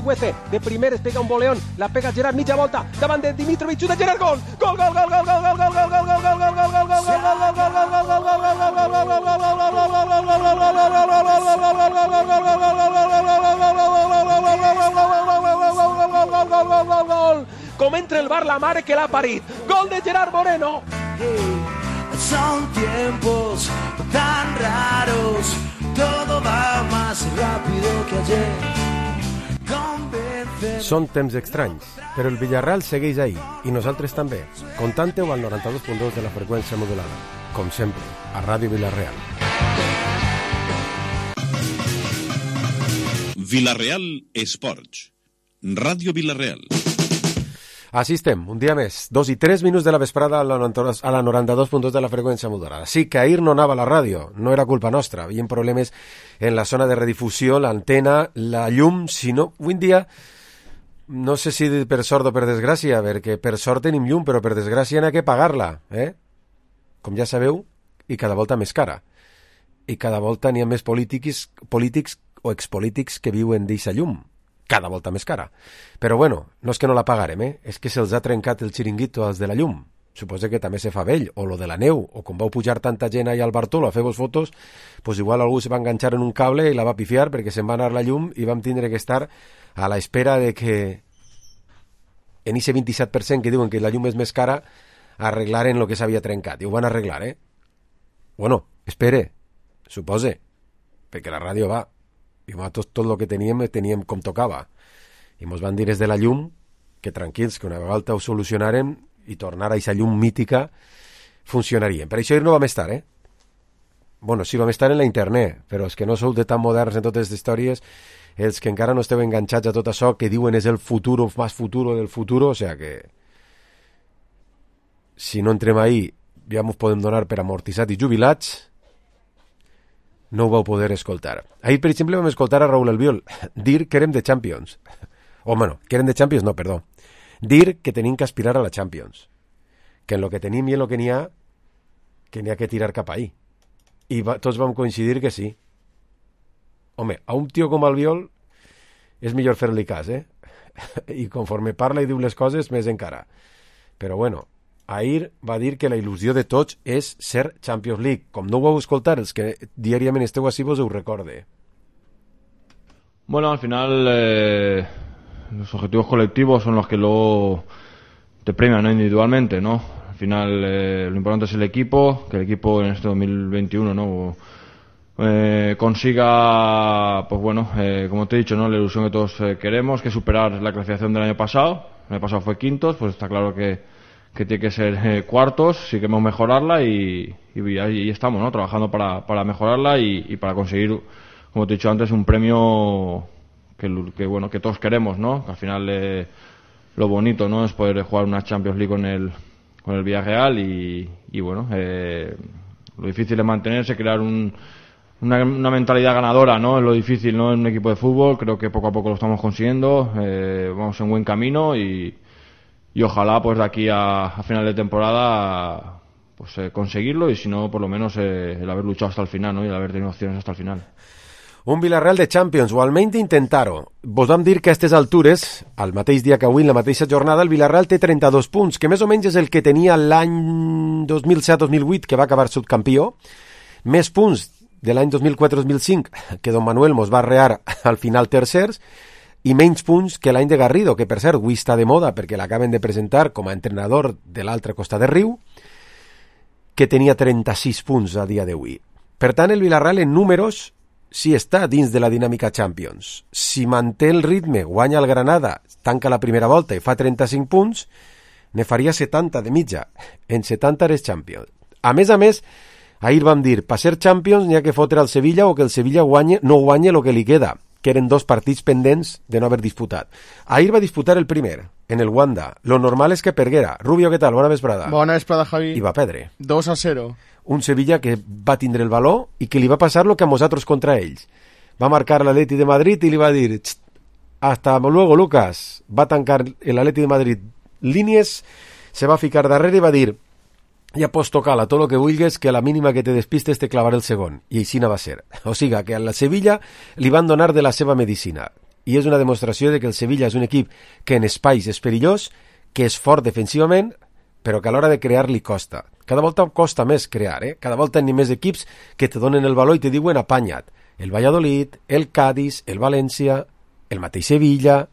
Cuece, de primeres pega un boleón, la pega Gerard, mitja volta, davant de Dimitrovic, xuta Gerard, gol! Gol, gol, gol, gol, gol, gol, gol, gol, gol, gol, gol, gol, gol, gol, gol, com entra el bar la mare que l'ha parit, gol de Gerard Moreno. Son tiempos tan raros, todo va más rápido que ayer. Són temps estranys, però el Villarreal segueix ahí, i nosaltres també. Contante-ho al 92.2 de la freqüència modulada. Com sempre, a Ràdio Villarreal. Villarreal Esports. Ràdio Villarreal. Així estem, un dia més, 2 i 3 minuts de la vesprada a la 92.2 de la freqüència modulada. Sí que ahir no anava a la ràdio, no era culpa nostra, hi havia problemes en la zona de redifusió, l'antena, la llum, si no, avui en dia, no sé si per sort o per desgràcia, perquè per sort tenim llum, però per desgràcia n'ha que pagar-la, com ja sabeu, i cada volta més cara. I cada volta n'hi ha més polítics o expolítics que viuen d'eixa llum. Cada volta més cara. Però bueno, no és que no la pagarem, és que se'ls ha trencat el xiringuito als de la llum. Suposo que també se fa vell, o lo de la neu, o com vau pujar tanta gent ahí al Bartolo a fer-vos fotos, pues igual algú se va enganxar en un cable i la va pifiar perquè se'n va anar la llum i vam tindre que estar a la espera de que en ese 27% que diuen que la llum és més cara arreglaren lo que s'havia trencat. I ho van arreglar, Bueno, espere, supose, perquè la ràdio va. I tot el que teníem com tocava. I mos van dir des de la llum que tranquils, que una vegada ho solucionarem i tornar a aquesta llum mítica funcionaria. Per això no vam estar, Bueno, sí, vam estar en la internet, però és que no sou de tan moderns en totes les històries, els que encara no esteu enganxats a tot això que diuen és el futuro, más futuro del futuro, o sea que si no entrem ahí ja ens podem donar per amortitzats i jubilats. No ho vau poder escoltar. Ahir, per exemple, vam escoltar a Raúl Albiol dir que érem de Champions. O, bueno, que érem de Champions, no, perdó. Dir que tenim que aspirar a la Champions. Que en lo que tenim i en lo que n'hi ha que tirar cap ahí. I tots vam coincidir que sí. Home, a un tio com Albiol és millor fer-li cas, I conforme parla i diu les coses, més encara. Però, bueno, ahir va dir que la il·lusió de tots és ser Champions League. Com no ho vau escoltar, els que diàriament esteu així vos ho recorde. Bueno, al final los objetivos colectivos son los que luego te premian, ¿no? Individualmente, ¿no? Al final lo importante es el equipo, que el equipo en este 2021, ¿no? Consiga, pues bueno, como te he dicho, ¿no? La ilusión que todos queremos, que superar la clasificación del año pasado. El año pasado fue quintos, pues está claro que tiene que ser cuartos, sí queremos mejorarla y ahí estamos, ¿no? Trabajando para mejorarla y para conseguir, como te he dicho antes, un premio que bueno, que todos queremos, ¿no? Que al final lo bonito, ¿no? Es poder jugar una Champions League con el Villarreal y bueno, lo difícil es mantenerse, crear una mentalidad ganadora, ¿no? Es lo difícil, ¿no? En un equipo de fútbol, creo que poco a poco lo estamos consiguiendo, vamos en buen camino y ojalá pues de aquí a final de temporada pues conseguirlo y si no por lo menos el haber luchado hasta el final, ¿no? Y el haber tenido opciones hasta el final. Un Villarreal de Champions, o almenys intentar-ho. Vos vam dir que a aquestes altures, al mateix dia que avui, en la mateixa jornada, el Villarreal té 32 punts, que més o menys és el que tenia l'any 2007-2008, que va acabar subcampió, més punts de l'any 2004-2005, que Don Manuel mos va arrear al final tercers, i menys punts que l'any de Garrido, que per cert avui està de moda perquè l'acaben de presentar com a entrenador de l'altre costat de riu, que tenia 36 punts a dia d'avui. Per tant, el Villarreal en números sí està dins de la dinàmica Champions. Si manté el ritme, guanya el Granada, tanca la primera volta i fa 35 punts, ne faria 70 de mitja. En 70 eres Champions. A més, ahir vam dir, per ser Champions n'hi ha que fotre al Sevilla o que el Sevilla no guanye el que li queda, que eren 2 partits pendents de no haver disputat. Ahir va disputar el primer, en el Wanda. Lo normal és que perguera. Rubio, què tal? Bona vesprada. Bona vesprada, Javi. I va perdre. 2-0. Un Sevilla que va tindre el valor i que li va passar lo que a nosaltres contra ells. Va marcar l'Atleti de Madrid i li va dir hasta luego, Lucas. Va tancar l'Atleti de Madrid línies, se va ficar darrere i va dir ja pots tocar-la tot el que vulguis, que a la mínima que te despistes te clavaré el segon. I així no va ser. O sigui, que a la Sevilla li van donar de la seva medicina. i és una demostració de que el Sevilla és un equip que en espais és perillós, que és fort defensivament, però que a l'hora de crear li costa. Cada volta costa més crear, Cada volta n'hi ha més equips que te donen el valor i te diuen apanya't. El Valladolid, el Cádiz, el València, el mateix Sevilla.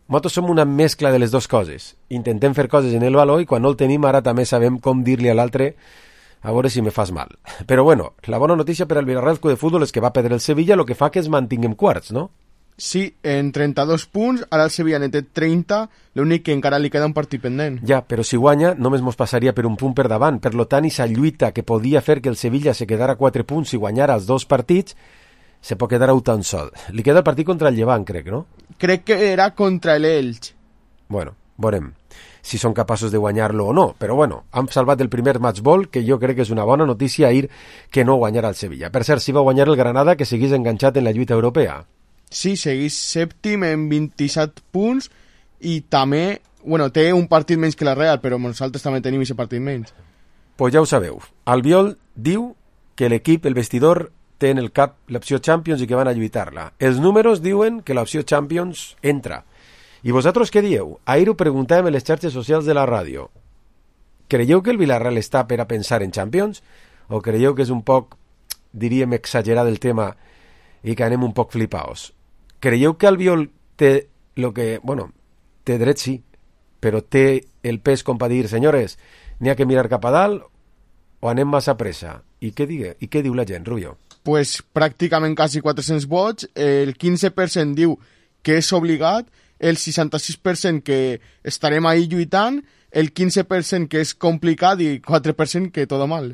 Nosaltres som una mescla de les dues coses. Intentem fer coses en el valor i quan no el tenim ara també sabem com dir-li a l'altre a veure si me fas mal. Però bueno, la bona notícia per al Villarreal Club de Futbol és que va perdre el Sevilla, el que fa que es mantinguem quarts, no? Sí, en 32 punts, ara el Sevilla ne té 30, l'únic que encara li queda un partit pendent. Ja, però si guanya només mos passaria per un punt per davant, per lo tant, esa lluita que podia fer que el Sevilla se quedara 4 punts si guanyara els 2 partits, se pot quedar tan sol. Li queda el partit contra el Llevant, crec, no? Crec que era contra l'Elx. Bueno, veurem si són capaços de guanyar-lo o no, però bueno, han salvat el primer matchball, que jo crec que és una bona notícia ahir que no guanyarà el Sevilla. Per cert, si va guanyar el Granada, que seguís enganxat en la lluita europea. Sí, seguís sèptim en 27 punts i també, bueno, té un partit menys que la Real, però nosaltres també tenim aquest partit menys. Pues ja ho sabeu. Albiol diu que l'equip, el vestidor, té en el cap l'opció Champions i que van a lluitar-la. Els números diuen que l'opció Champions entra. I vosaltres què dieu? Ahir ho preguntàvem en les xarxes socials de la ràdio. Creieu que el Villarreal està per a pensar en Champions? O creieu que és un poc, diríem, exagerat el tema i que anem un poc flipaos? Creieu que Albiol té lo que... Bueno, té dret sí, però té el pes com per dir, senyores, n'hi ha que mirar cap a dalt o anem massa pressa? I què diu la gent, Rubio? Pues pràcticament quasi 400 vots, el 15% diu que és obligat, el 66% que estarem ahí lluitant, el 15% que és complicat i 4% que tot mal.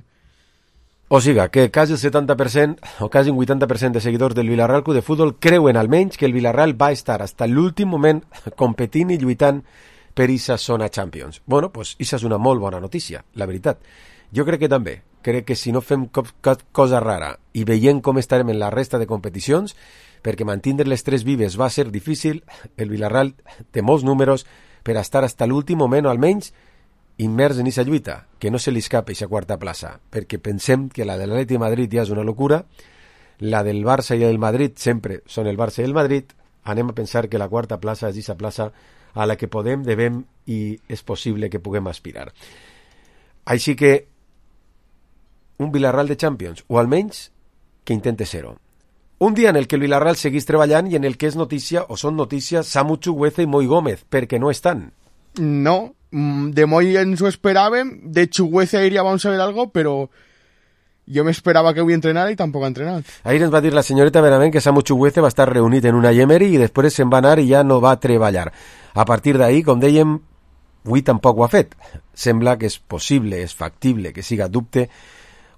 O sigui, que quasi el 70% o quasi un 80% de seguidors del Villarreal Club de Futbol creuen almenys que el Villarreal va estar fins a l'últim moment competint i lluitant per aquesta zona Champions. Bueno, pues aquesta és una molt bona notícia, la veritat. Jo crec que també. Crec que si no fem cap cosa rara i veient com estarem en la resta de competicions, perquè mantindre les 3 vives va ser difícil, el Villarreal té molts números per estar fins a l'últim moment o almenys immers en aquesta lluita, que no se li escapi aquesta quarta plaça, perquè pensem que la de l'Atleti de Madrid ja és una locura, la del Barça i el Madrid sempre són el Barça i el Madrid, anem a pensar que la quarta plaça és aquesta plaça a la que podem, devem i és possible que puguem aspirar. Així que un Villarreal de Champions, o almenys que intente ser-ho. Un dia en el que el Villarreal seguís treballant i en el que és notícia, o són notícies, Samu Chukwueze i Moi Gómez, perquè no estan. No, de Moi ens ho esperàvem, de Chukwueze ahir ja vam saber algo, però jo m'esperava que avui entrenara i tampoc ha entrenat. Ahir ens va dir la senyoreta Benavent que Samu Chukwueze va estar reunit en una Yemery i després se'n va anar i ja no va treballar. A partir d'ahir, com dèiem, avui tampoc ho ha fet. Sembla que és possible, és factible, que siga dubte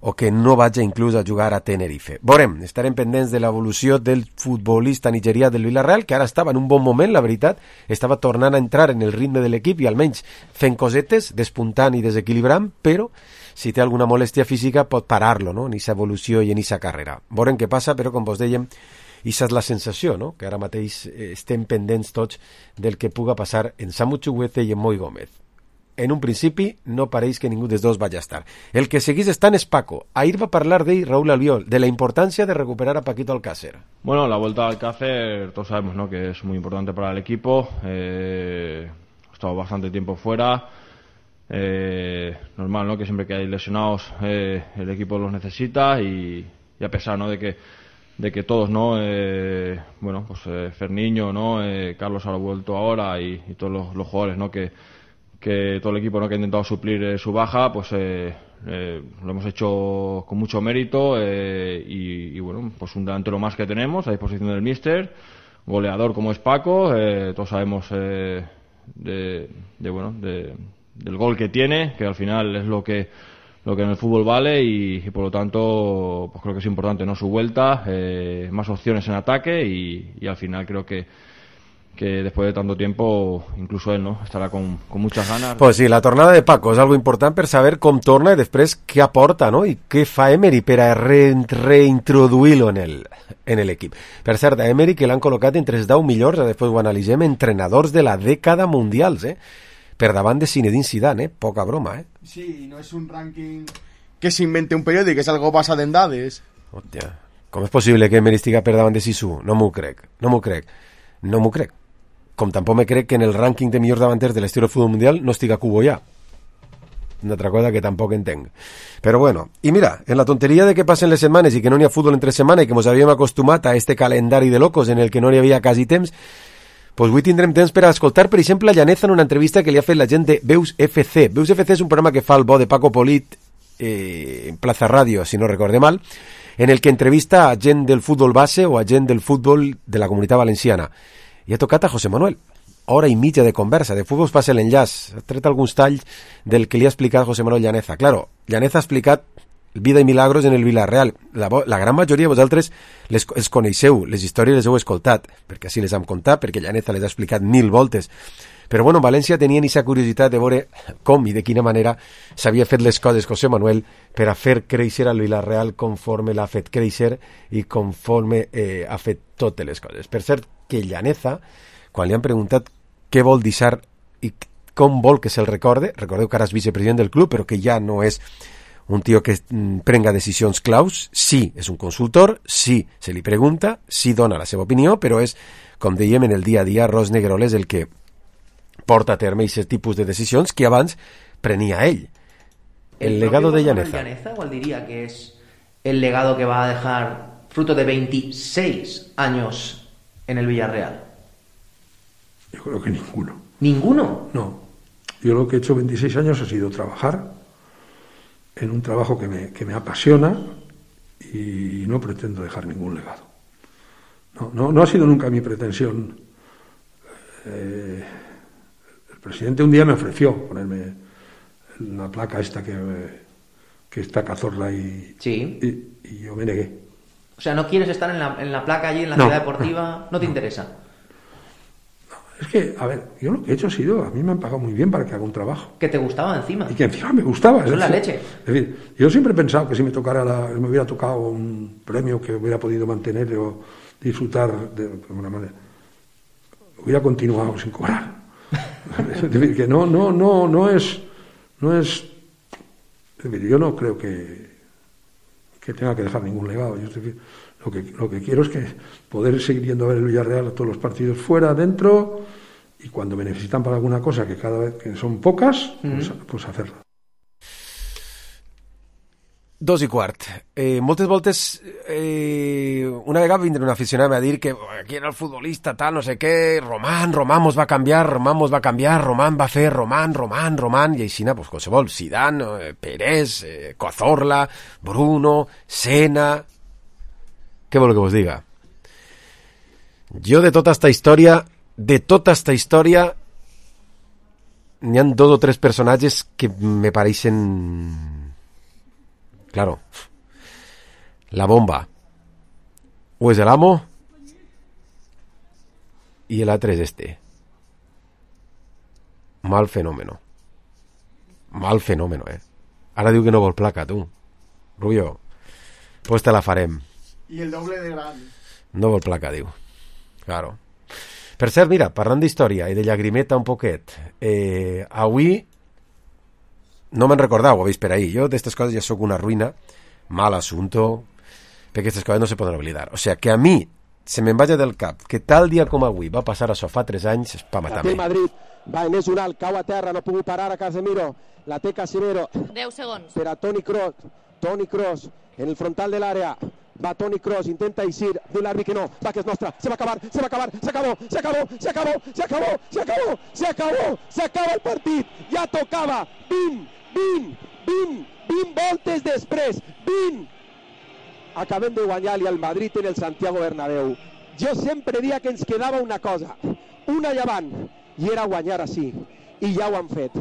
o que no vagi inclús a jugar a Tenerife. Veurem, estarem pendents de l'evolució del futbolista nigerià del Villarreal, que ara estava en un bon moment, la veritat, estava tornant a entrar en el ritme de l'equip i almenys fent cosetes, despuntant i desequilibrant, però si té alguna molèstia física pot parar-lo, no?, en aquesta evolució i en aquesta carrera. Veurem què passa, però com vos dèiem, aquesta és la sensació, no?, que ara mateix estem pendents tots del que puga passar en Samu Chukwueze i en Moi Gómez. En un principi no pareix que ningú dels dos vaya a estar. El que seguís estant és Paco. Ahir va parlar d'ell Raúl Albiol, de la importancia de recuperar a Paquito Alcácer. Bueno, la vuelta a Alcácer, todos sabemos, ¿no?, que es muy importante para el equipo. Ha estado bastante tiempo fuera. Normal, ¿no?, que siempre que hay lesionados el equipo los necesita y a pesar, ¿no?, de que todos, ¿no?, bueno, pues Ferniño, ¿no?, Carlos ha vuelto ahora y todos los jugadores, ¿no?, que todo el equipo, ¿no?, que ha intentado suplir su baja, pues lo hemos hecho con mucho mérito y bueno, pues un delantero más que tenemos a disposición del míster, goleador como es Paco, todos sabemos del gol que tiene, que al final es lo que en el fútbol vale y por lo tanto pues creo que es importante, ¿no?, su vuelta, más opciones en ataque y al final creo que después de tanto tiempo incluso él, ¿no?, estarà con muchas ganas. Pues sí, la tornada de Paco és algo important per saber com torna i després què aporta, no?, i què fa Emery per a reintroduir-lo en l'equip. Per cert, a Emery que l'han col·locat entre els 10 millors, després ho analitzem, entrenadors de la dècada mundials, per davant de Zinedine Zidane, poca broma, Sí, no és un rànquing que s'invente un periòdic, és algo basat en dades. Hòstia, com és possible que Emery estigui per davant de Sisu? No m'ho crec. No m'ho crec. Com tampoc me crec que en el rànquing de millors davanters de la història del futbol mundial no estiga Cubo ja. Una altra cosa que tampoc entenc. Però bueno, i mira, en la tonteria de que passen les setmanes i que no n'hi ha futbol entre setmana i que ens havíem acostumat a este calendari de locos en el que no n'hi havia quasi temps, pues avui tindrem temps per a escoltar, per exemple, a Llaneza en una entrevista que li ha fet la gent de Veus FC. Veus FC és un programa que fa el bo de Paco Polit en Plaza Radio, si no recorde mal, en el que entrevista a gent del futbol base o a gent del futbol de la Comunitat Valenciana. I ha tocat a José Manuel. Hora i mitja de conversa. De futbol passa l'enllaç. Ha tret alguns talls del que li ha explicat José Manuel Llaneza. Claro, Llaneza ha explicat vida i milagros en el Villarreal. La gran majoria de vosaltres els coneixeu, les històries les heu escoltat, perquè així les hem contat, perquè Llaneza les ha explicat 1000 voltes. Però bueno, València tenien aquesta curiositat de veure com i de quina manera s'havia fet les coses José Manuel per a fer créixer el Villarreal conforme l'ha fet créixer i conforme ha fet totes les coses. Per cert, que Llaneza, quan li han preguntat què vol deixar i com vol que se'l recorde, recordeu que ara és vicepresident del club, però que ja no és un tio que prenga decisions claus, sí, és un consultor, sí, se li pregunta, sí dona la seva opinió, però és, com dèiem, en el dia a dia, Ros Negroles el que porta a terme aquest tipus de decisions que abans prenia ell. El legado de Llaneza. ¿Cuál diría que es el legado que va a dejar fruto de 26 años en el Villarreal? Yo creo que ninguno. ¿Ninguno? No. Yo lo que he hecho 26 años ha sido trabajar en un trabajo que me apasiona y no pretendo dejar ningún legado. No ha sido nunca mi pretensión. El presidente un día me ofreció ponerme la placa esta que está Cazorla y yo me negué. O sea, ¿no quieres estar en la placa allí en la ciudad deportiva? ¿No te interesa? Es que, a ver, yo lo que he hecho ha sido, a mí me han pagado muy bien para que haga un trabajo. Que te gustaba encima. Y que encima me gustaba. Eso es la leche. Es decir, yo siempre he pensado que si me hubiera tocado un premio que hubiera podido mantener o disfrutar de alguna manera, hubiera continuado sin cobrar. Es decir, que no es. Es decir, yo no creo que tenga que dejar ningún legado. Yo, es decir, lo que quiero es que poder seguir yendo a ver el Villarreal a todos los partidos fuera, dentro, y cuando me necesitan para alguna cosa, que cada vez que son pocas, pues hacerla. 2:15. Moltes voltes una vegada vindrà un aficionat a dir que aquí era el futbolista tal, no sé què, Román mos va canviar, Román va fer Román, i així, pues, qualsevol, Zidane, Pérez, Cazorla, Bruno, Senna. Què vol que vos diga? Jo de tota esta història n'hi ha 2 o 3 personatges que me pareixen... Claro, la bomba o és el amo i l'altre és este. Mal fenómeno, Ara diu que no vol placa, tu. Rubio, pues te la farem. I el doble de gran. No vol placa, diu. Claro. Per cert, mira, parlant d'història i de llagrimeta un poquet, avui no me'n recordau, ho veig per ahir. Jo d'estes coses ja sóc una ruïna, mal assunto, perquè aquestes coses no se poden oblidar. O sea, que a mi se me'n vaja del cap que tal dia com avui va passar això fa 3 anys, és pa matar-me. El Madrid va en Esural, cau a terra, no ha pogut parar a Casemiro, la té Casemiro. 10 segons. Per a Toni Kroos, en el frontal de l'àrea. Va Toni Kroos, intenta eixir, diu l'àrbit que no, va que és nostra, se va acabar, s'acaba el partit, ja tocava, 20 voltes després, 20. Acabem de guanyar-li al Madrid en el Santiago Bernabéu. Jo sempre dia que ens quedava una cosa, una llevant, i era guanyar així, i ja ho han fet.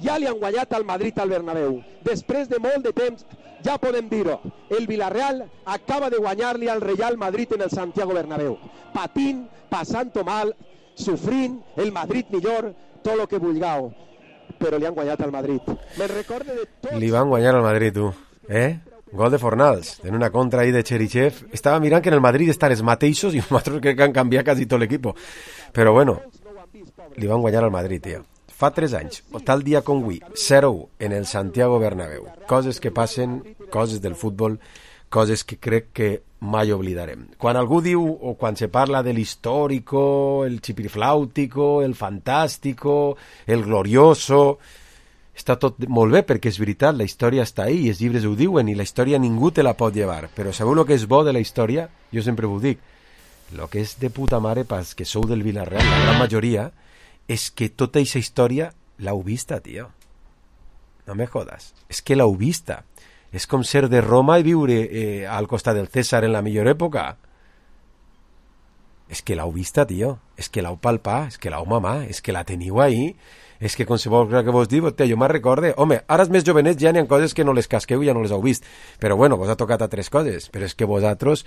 Ja li han guanyat al Madrid al Bernabéu. Després de molt de temps, ja podem dir-ho, el Villarreal acaba de guanyar-li al Real Madrid en el Santiago Bernabéu. Patint, passant-ho mal, sofrint, el Madrid millor, tot el que vulgueu. Però li han guanyat al Madrid. Me'n recorde de tots... Li van guanyar al Madrid, tu. Gol de Fornals, en una contra ahí de Cherichev. Estava mirant que en el Madrid estan els mateixos i nosaltres crec que han canviat quasi tot l'equip. Però bueno, li van guanyar al Madrid, tio. Fa 3 anys, tal dia com avui, 0-1 en el Santiago Bernabéu. Coses que passen, coses del futbol, coses que crec que mai oblidarem. Quan algú diu, o quan se parla de l'històrico, el chipirflàutico, el fantàstico, el glorioso, està tot molt bé, perquè és veritat, la història està ahí, i els llibres ho diuen, i la història ningú te la pot llevar. Però sabeu el que és bo de la història? Jo sempre ho dic. El que és de puta mare pels que sou del Villarreal, la gran majoria, és que tota aquesta història l'heu vista, tio. No me jodas. És que l'heu vista. És com ser de Roma i viure al costat del César en la millor època. És que l'heu vista, tio. És que l'heu palpat, és que l'heu mamà, és que la teniu ahí. És que qualsevol cosa que vos diu, jo me'n recorde. Home, ara els més jovenets ja n'hi ha coses que no les casqueu i ja no les heu vist. Però bueno, vos ha tocat altres coses. Però és que vosaltres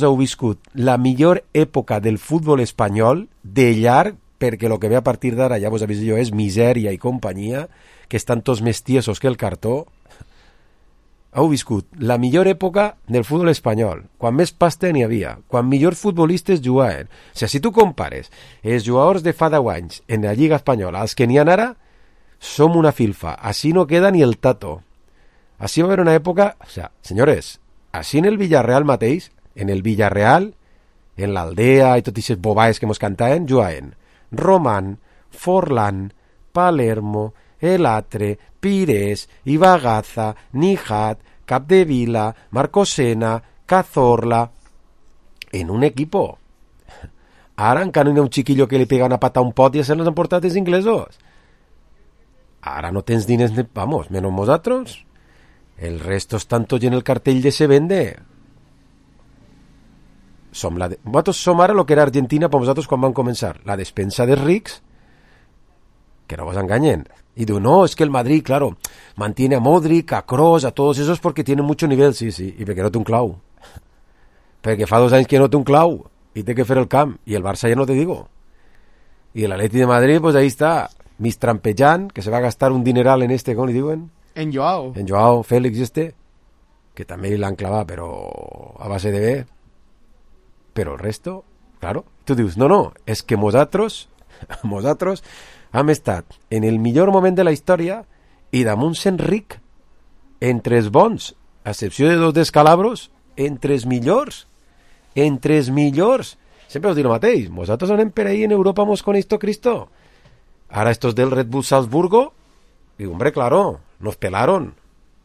heu viscut la millor època del futbol espanyol de llarg, perquè el que ve a partir d'ara, ja vos avís jo, és misèria i companyia, que estan tots més tiesos que el cartó. Heu viscut la millor època del futbol espanyol, quan més pasta n'hi havia, quan millors futbolistes jugaven. O sigui, si tu compares els jugadors de fa 10 anys en la Lliga Espanyola als que n'hi ha ara, som una filfa. Així no queda ni el tato. Així va haver una època... O sigui, senyores, així en el Villarreal mateix, en el Villarreal, en l'Aldea i tot aquestes bobaes que mos cantaven, jugaven Román, Forlán, Palermo, Elatre, Pires, Ibagaza, Nijat, Capdevila, Marcosena, Cazorla, en un equipo. Ara encara no hi ha un chiquillo que li pega una pata a un pot i se les han portat els inglesos. Ara no tens diners, vamos, menos nosaltres. El resto estan tots en el cartell de se vende. Vosaltres som ara el que era Argentina per vosaltres quan van començar. La despensa dels rics, que no vos enganyen. Y digo, no, es que el Madrid, claro, mantiene a Modric, a Kroos, a todos esos porque tienen mucho nivel, sí, y perquè no té un clau. Perquè fa 2 anys que no té un clau y té que fer el camp. Y el Barça ya no te digo. Y el Atleti de Madrid, pues ahí está, mistrampejant, que se va a gastar un dineral en este, ¿cómo le diuen? En Joao. En Joao Félix que també l'han clavat, però a base de bé. Però el resto, claro, tu dius, no, és que nosaltres hem estat en el millor moment de la història i damunt sent ric, entre els bons, a excepció de 2 descalabros, entre els millors. Sempre us dic el mateix, nosaltres anem per ahí en Europa, mos con esto Cristo. Ara estos del Red Bull Salzburgo, digo, hombre, claro, nos pelaron.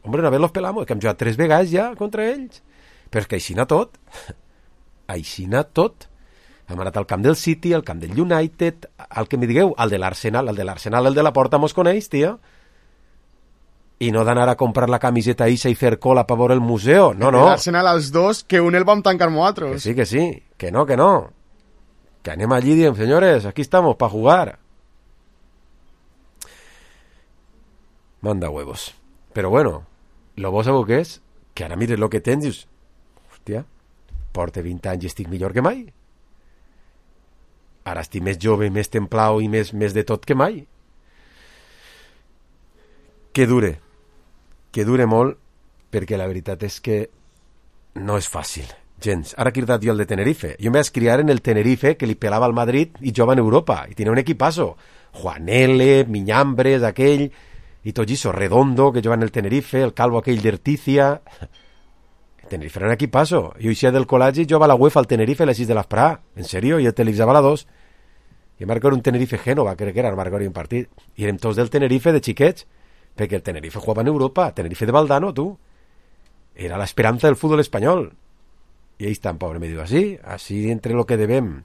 Hombre, una vez los pelamos, que hem jugat 3 vegades ja contra ells. Però és que aixina tot. Hem anat al camp del City, al camp del United, al que me digueu, al de l'Arsenal, el de la Porta mos coneix, tio. I no d'anar a comprar la camiseta Isa i fer cola per veure el museu, no. L'Arsenal als 2, que un el vam tancar nosaltres. Que sí, que no. Que anem allí i diem, senyores, aquí estamos, para jugar. Manda huevos. Però bueno, lo bo sabeu què és? Que ara mires lo que tens i dius, hòstia, porte 20 anys i estic millor que mai. Ara estic més jove, més templau i més de tot que mai. Que dure molt, perquè la veritat és que no és fàcil, gens. Ara he cridat jo el de Tenerife. Jo em vaig criar en el Tenerife, que li pelava al Madrid i jugava en Europa, i tenia un equipazo. Juanele, Miñambres, aquell, i tot això, Redondo, que jugava en el Tenerife, el calvo aquell d'Erticia. Tenerife era un equipazo. Jo eixia del col·legi i jugava a la UEFA al Tenerife a les 6 de l'esprà. En sèrio, i el televisava a la 2. I marcar un Tenerife Génova, crec que era, marcar un partit. I érem tots del Tenerife de xiquets, perquè el Tenerife jugava en Europa, Tenerife de Valdano, tu. Era la esperanza del fútbol espanyol. I ahí estan, pobre, me diu, así entre lo que debem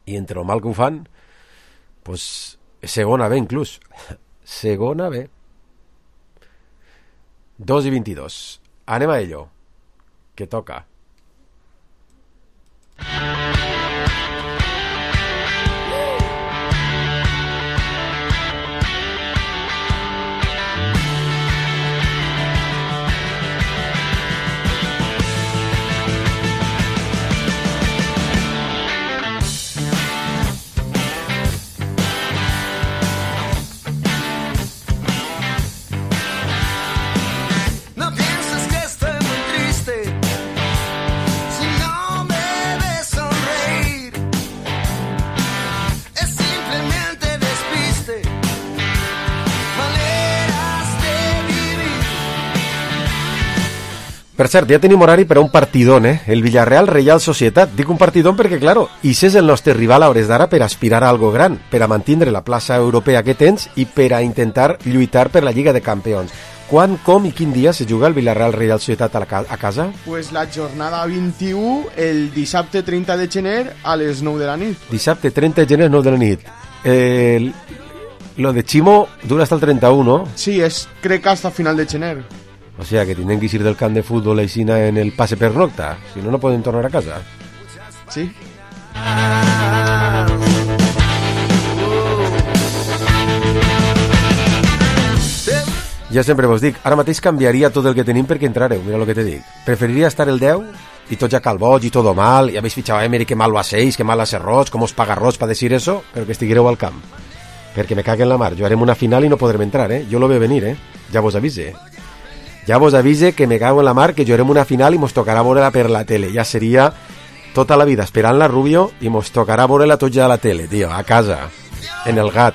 i entre lo mal que ho fan, pues segona B inclús. Segona B. 2:22. Anem a ello. Que toca. Per cert, ja tenim horari per a un partidón, el Villarreal Reial Societat. Dic un partidón perquè, claro, ix és el nostre rival a hores d'ara per aspirar a algo gran, per a mantindre la plaça europea que tens i per a intentar lluitar per la Lliga de Campions. Quan, com i quin dia se juga el Villarreal Reial Societat a casa? Pues la jornada 21, el dissabte 30 de gener a les 9 de la nit. Dissabte 30 de gener, 9 de la nit. Lo de Chimo dura hasta el 31, ¿no? Sí, crec que hasta final de gener. O sea, que tienen que ir del camp de fútbol a Isina en el pase pernocta. Si no, no pueden tornar a casa. Sí. Ja sempre vos dic, ara mateix canviaria tot el que tenim perquè entrareu, mira el que te dic. Preferiria estar el 10 y tot ja calboig y todo mal, y habéis fichado a Emery, que mal lo hacéis, que mal hace Roig, cómo os paga Roig para decir eso, pero que estiguereu al camp. Perquè me cague en la mar, jo harem una final i no podrem entrar, jo lo veo venir, ja vos avise. Ja vos avise que me cago en la mar, que jo harem una final i mos tocarà veure-la per la tele, ja seria tota la vida esperant-la, Rubio, i mos tocarà veure-la tot ja a la tele, tio, a casa, en el gat.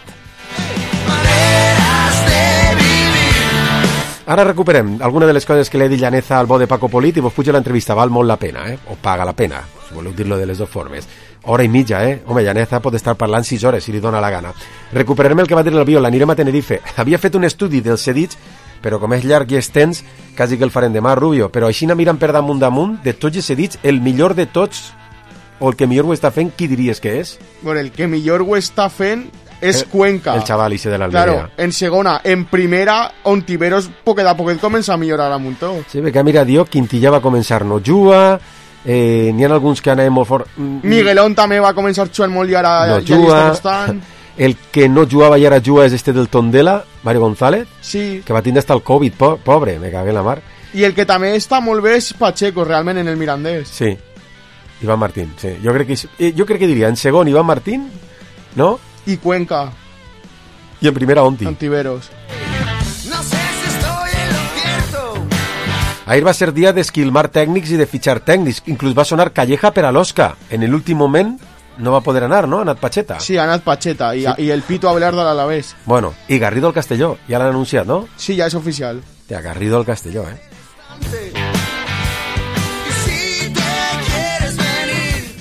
Ara recuperem alguna de les coses que li ha dit Llaneza al bo de Paco Polit i vos puja l'entrevista, val molt la pena, o paga la pena, si voleu dir-lo de les dues formes. Hora i mitja, Home, Llaneza pot estar parlant 6 hores si li dona la gana. Recuperarem el que va dir el Biol, l'anirem a Tenerife. Havia fet un estudi dels cedits, però com és llarg i extens, quasi que el farem demà, Rubio. Però així mirant per damunt, de tots els cedits, el millor de tots, o el que millor ho està fent, qui diries que és? Bueno, el que millor ho està fent és Cuenca. El xaval ese de l'Almeria. Claro, en segona. En primera, Ontiveros poquet a poquet comença a millorar a muntó. Sí, perquè mira, Dio, Quintilla va començar no juga, n'hi ha alguns que anaven molt fort. Miguelón també va començar jugant molt i ara no ja juga. Està bastant. El que no jugava i ara juga és este del Tondela, Mario González, sí, que va tindre hasta el Covid, pobre, me cagué en la mar. I el que també està molt bé és Pacheco, realment, en el Mirandés. Sí, Iván Martín, sí. Jo crec que diria en segon Iván Martín, no? I Cuenca. I en primera Ontiveros. No sé si estoy en lo cierto. Ahir va ser dia d'esquilmar tècnics i de fitxar tècnics. Inclús va sonar Calleja per a l'Osca. En l'últim moment no va poder anar, ¿no? Ha anat Pacheta. Sí, ha anat Pacheta i, sí. I el Pito Abelardo a l'Alavés. Bueno, i Garrido al Castelló, ja l'han anunciat, no? Sí, ja és oficial. Hòstia, Garrido al Castelló, Si te quieres venir,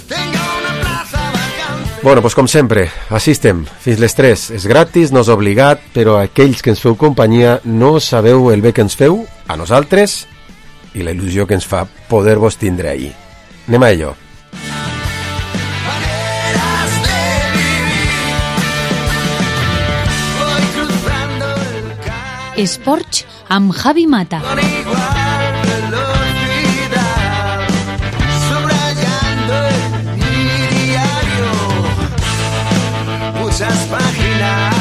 tengo una plaza vacante. Bueno, doncs com sempre, així estem. Fins les 3. És gratis, no és obligat, però aquells que ens feu companyia no sabeu el bé que ens feu, a nosaltres, i la il·lusió que ens fa poder-vos tindre ahí. Anem a ello. Esports amb Javi Mata. Muchas páginas.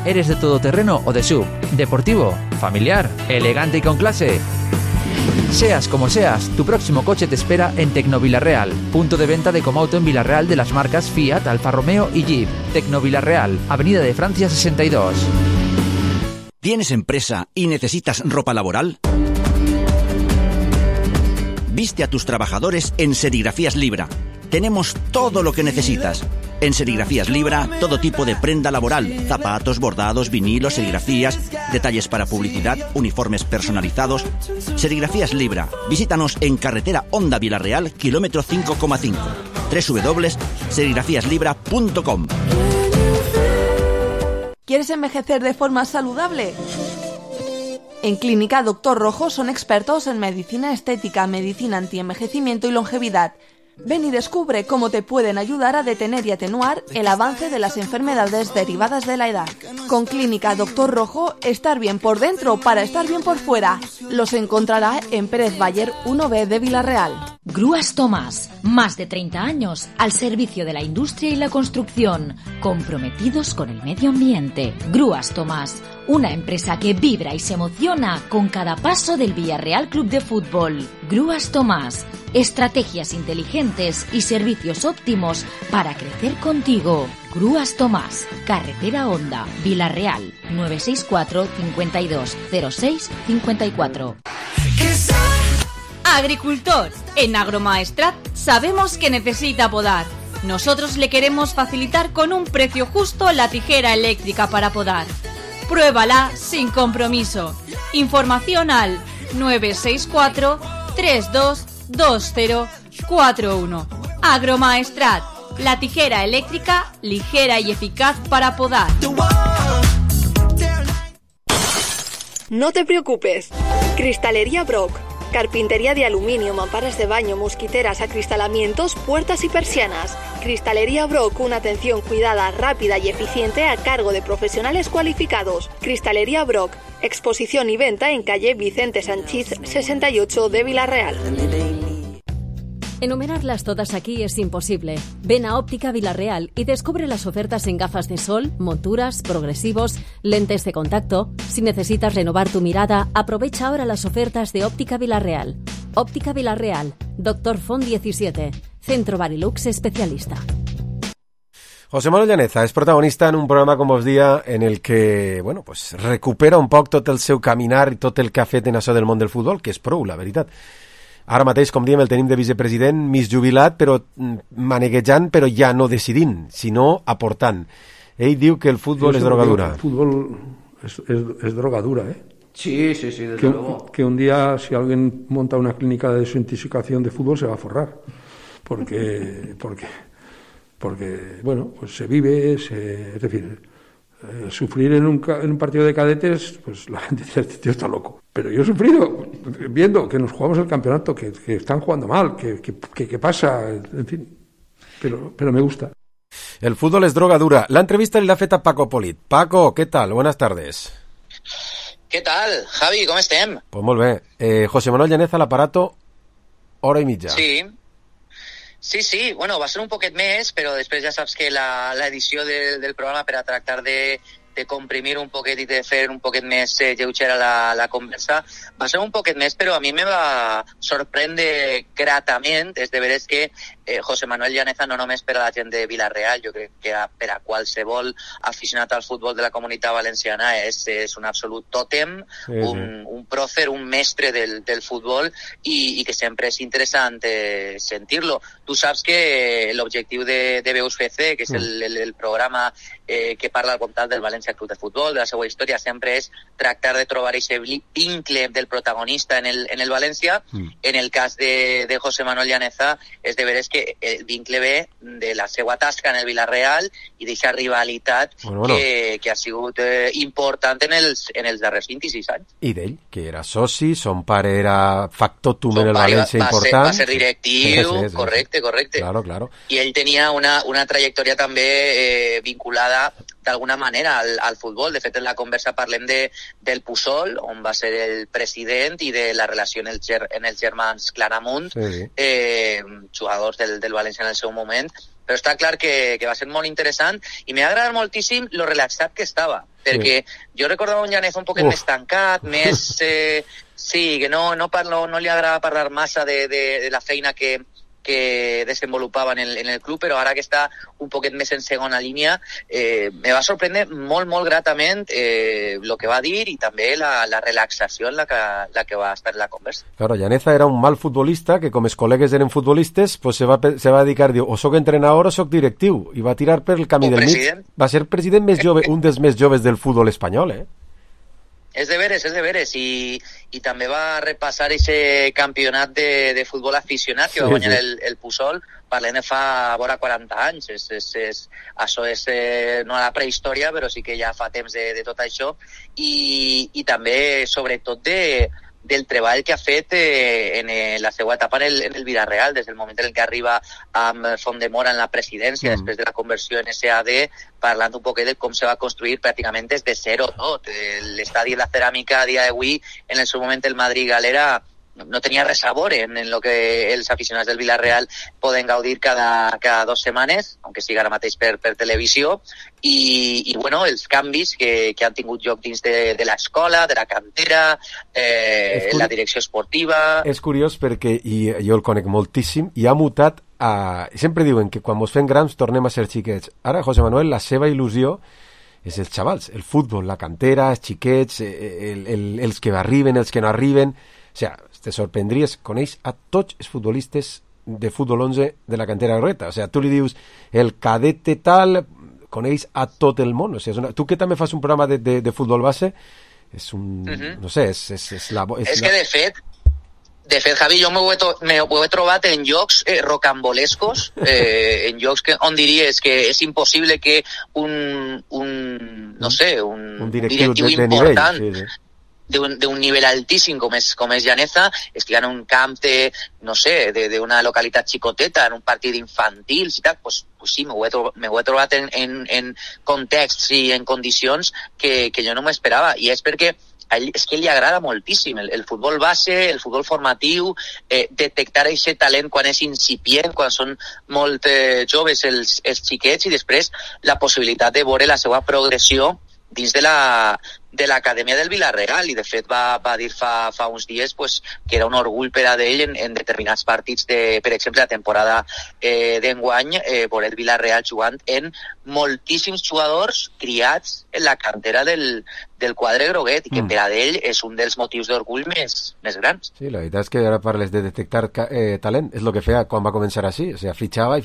¿Eres de todoterreno o de SUV? ¿Deportivo? ¿Familiar? ¿Elegante y con clase? Seas como seas, tu próximo coche te espera en Tecnovilarreal, punto de venta de Comauto en Villarreal de las marcas Fiat, Alfa Romeo y Jeep. Tecnovilarreal, Avenida de Francia 62. ¿Tienes empresa y necesitas ropa laboral? Viste a tus trabajadores en Serigrafías Libra. Tenemos todo lo que necesitas. En Serigrafías Libra, todo tipo de prenda laboral, zapatos, bordados, vinilos, serigrafías, detalles para publicidad, uniformes personalizados. Serigrafías Libra. Visítanos en carretera Honda Villarreal, kilómetro 5,5. www.serigrafíaslibra.com. ¿Quieres envejecer de forma saludable? En Clínica Doctor Rojo son expertos en medicina estética, medicina antienvejecimiento y longevidad. Ven y descubre cómo te pueden ayudar a detener y atenuar el avance de las enfermedades derivadas de la edad. Con Clínica Doctor Rojo, estar bien por dentro para estar bien por fuera. Los encontrará en Pérez Bayer 1B de Villarreal. Grúas Tomás, más de 30 años al servicio de la industria y la construcción, comprometidos con el medio ambiente. Grúas Tomás, una empresa que vibra y se emociona con cada paso del Villarreal Club de Fútbol. Grúas Tomás, estrategias inteligentes y servicios óptimos para crecer contigo. Grúas Tomás, Carretera Honda, Villarreal, 964 52 06 54. Agricultor, en Agromaestrat sabemos que necesita podar. Nosotros le queremos facilitar con un precio justo la tijera eléctrica para podar. Pruébala sin compromiso. Información al 964 322041. Agromaestrat, la tijera eléctrica ligera y eficaz para podar. No te preocupes. Cristalería Brock. Carpintería de aluminio, mamparas de baño, mosquiteras, acristalamientos, puertas y persianas. Cristalería Brock, una atención cuidada, rápida y eficiente a cargo de profesionales cualificados. Cristalería Brock, exposición y venta en calle Vicente Sanchís 68 de Villarreal. Enumerarlas todas aquí es imposible. Ven a Óptica Villarreal y descubre las ofertas en gafas de sol, monturas, progresivos, lentes de contacto. Si necesitas renovar tu mirada, aprovecha ahora las ofertas de Óptica Villarreal. Óptica Villarreal, Dr. Font 17, Centro Barilux especialista. José Manuel Llaneza és protagonista en un programa, com vos dia, en el que, bueno, pues, recupera un poc tot el seu caminar i tot el que ha fet en això del món del futbol, que és prou, la veritat. Ara mateix, com diem, el tenim de vicepresident, mig jubilat, però maneguejant, però ja no decidint, sinó aportant. Ell diu que el futbol és drogadura. El fútbol es drogadura, ¿eh? Sí, desde luego. Que un día, si alguien monta una clínica de desintoxicación de fútbol, se va a forrar. Porque bueno, pues se vive, es decir, sufrir en un partido de cadetes, pues la gente dice, este tío está loco. Pero yo he sufrido viendo que nos jugamos el campeonato, que están jugando mal, que pasa, en fin, pero me gusta. El fútbol es droga dura. La entrevista l'ha fet a Paco Polit. Paco, ¿qué tal? Buenas tardes. ¿Qué tal, Javi? ¿Cómo estem? Pues molt bé. José Manuel Llaneza, l'aparato, hora i mitja. Sí, bueno, va ser un poquet més, però després ja saps que l'edició del programa per a tractar de comprimir un poquet i de fer un poquet més lleugera la conversa, va ser un poquet més, però a mi me va sorprendre gratament, és de veres que José Manuel Llaneza no només per a la gent de Villarreal, jo crec que per a qualsevol aficionat al futbol de la Comunitat Valenciana és un absolut tòtem, un pròcer, un mestre del futbol i que sempre és interessant sentir-lo. Tu saps que l'objectiu de Veus FC, que és el programa que parla al voltant del València Club de Futbol, de la seva història, sempre és tractar de trobar aquest vincle del protagonista en el València. En el cas de José Manuel Llaneza, és de veres que el vincle ve de la seva tasca en el Villarreal i d'aquesta rivalitat que ha sigut important en els darrers 26 anys. I d'ell, que era soci, son pare era factotum en el València important. Va ser directiu, correcte. Claro. I ell tenia una trajectòria també vinculada d'alguna manera al futbol. De fet, en la conversa parlem del Puçol, on va ser el president, i de la relació en els germans Claramunt, jugadors del València en el seu moment. Però està clar que va ser molt interessant i m'ha agradat moltíssim lo relaxat que estava, perquè jo recordava un Llaneza un poquet més tancat, més... que no li agrada parlar massa de la feina que desenvolupava en el club, però ara que està un poquet més en segona línia, me va sorprendre molt gratament el que va dir i també la relaxació en la que va estar en la conversa. Claro, Llaneza era un mal futbolista que, com els col·legues eren futbolistes, pues se va dedicar, diu, o soc entrenador o soc directiu, i va tirar per el camí del mig. Va ser president més jove, un dels més joves del futbol espanyol, És de veres, i també va repassar aquest campionat de futbol aficionat que va guanyar el Puçol, parlem de fa vora 40 anys, això és no a la prehistòria, però sí que ja fa temps de tot això, i també, sobretot, del treball que ha fet en la seva etapa en el Villarreal, des del moment en què arriba amb Fondemora en la presidència, després de la conversió en SAD, parlant un poquet de com se va construir pràcticament des de zero tot. L'estadi de la ceràmica a dia d'avui, en el seu moment el Madrid Galera, no tenia res a veure en el que els aficionats del Villarreal poden gaudir cada 2 setmanes, aunque sigui ara mateix per televisió, i bueno, els canvis que han tingut lloc dins de l'escola, de la cantera, la direcció esportiva... És curiós perquè, i jo el conec moltíssim, i ha mutat a... Sempre diuen que quan ens fem grans tornem a ser xiquets. Ara, José Manuel, la seva il·lusió és els xavals, el futbol, la cantera, els xiquets, els que arriben, els que no arriben... O sigui, te sorprendries, coneix a tots els futbolistes de futbol 11 de la cantera Reta. O sea, tu li dius el cadete tal, coneix a tot el món. O sea, tu que també fas un programa de futbol base, és un... no sé, és la... És que, de fet, Javi, jo m'ho he trobat en llocs rocambolescos, en llocs on diries que és impossible que un directiu important... nivell, sí. d'un nivell altíssim com és Llaneza, estigui en un camp d'una localitat xicoteta, en un partit infantils i tal, pues sí, m'ho he trobat en contexts i en condicions que jo no m'esperava, i és perquè és que li agrada moltíssim el futbol base, el futbol formatiu, detectar aquest talent quan és incipient, quan són molt joves els xiquets, i després la possibilitat de veure la seva progressió dins de l'acadèmia del Villarreal, i de fet va dir fa uns dies pues, que era un orgull per a d'ell en determinats partits per exemple, la temporada d'enguany, veure el Villarreal jugant en moltíssims jugadors criats en la cantera del quadre groguet, i que per a d'ell és un dels motius d'orgull més grans. Sí, la veritat és que ara parles de detectar talent, és el que feia quan va començar així, o sigui,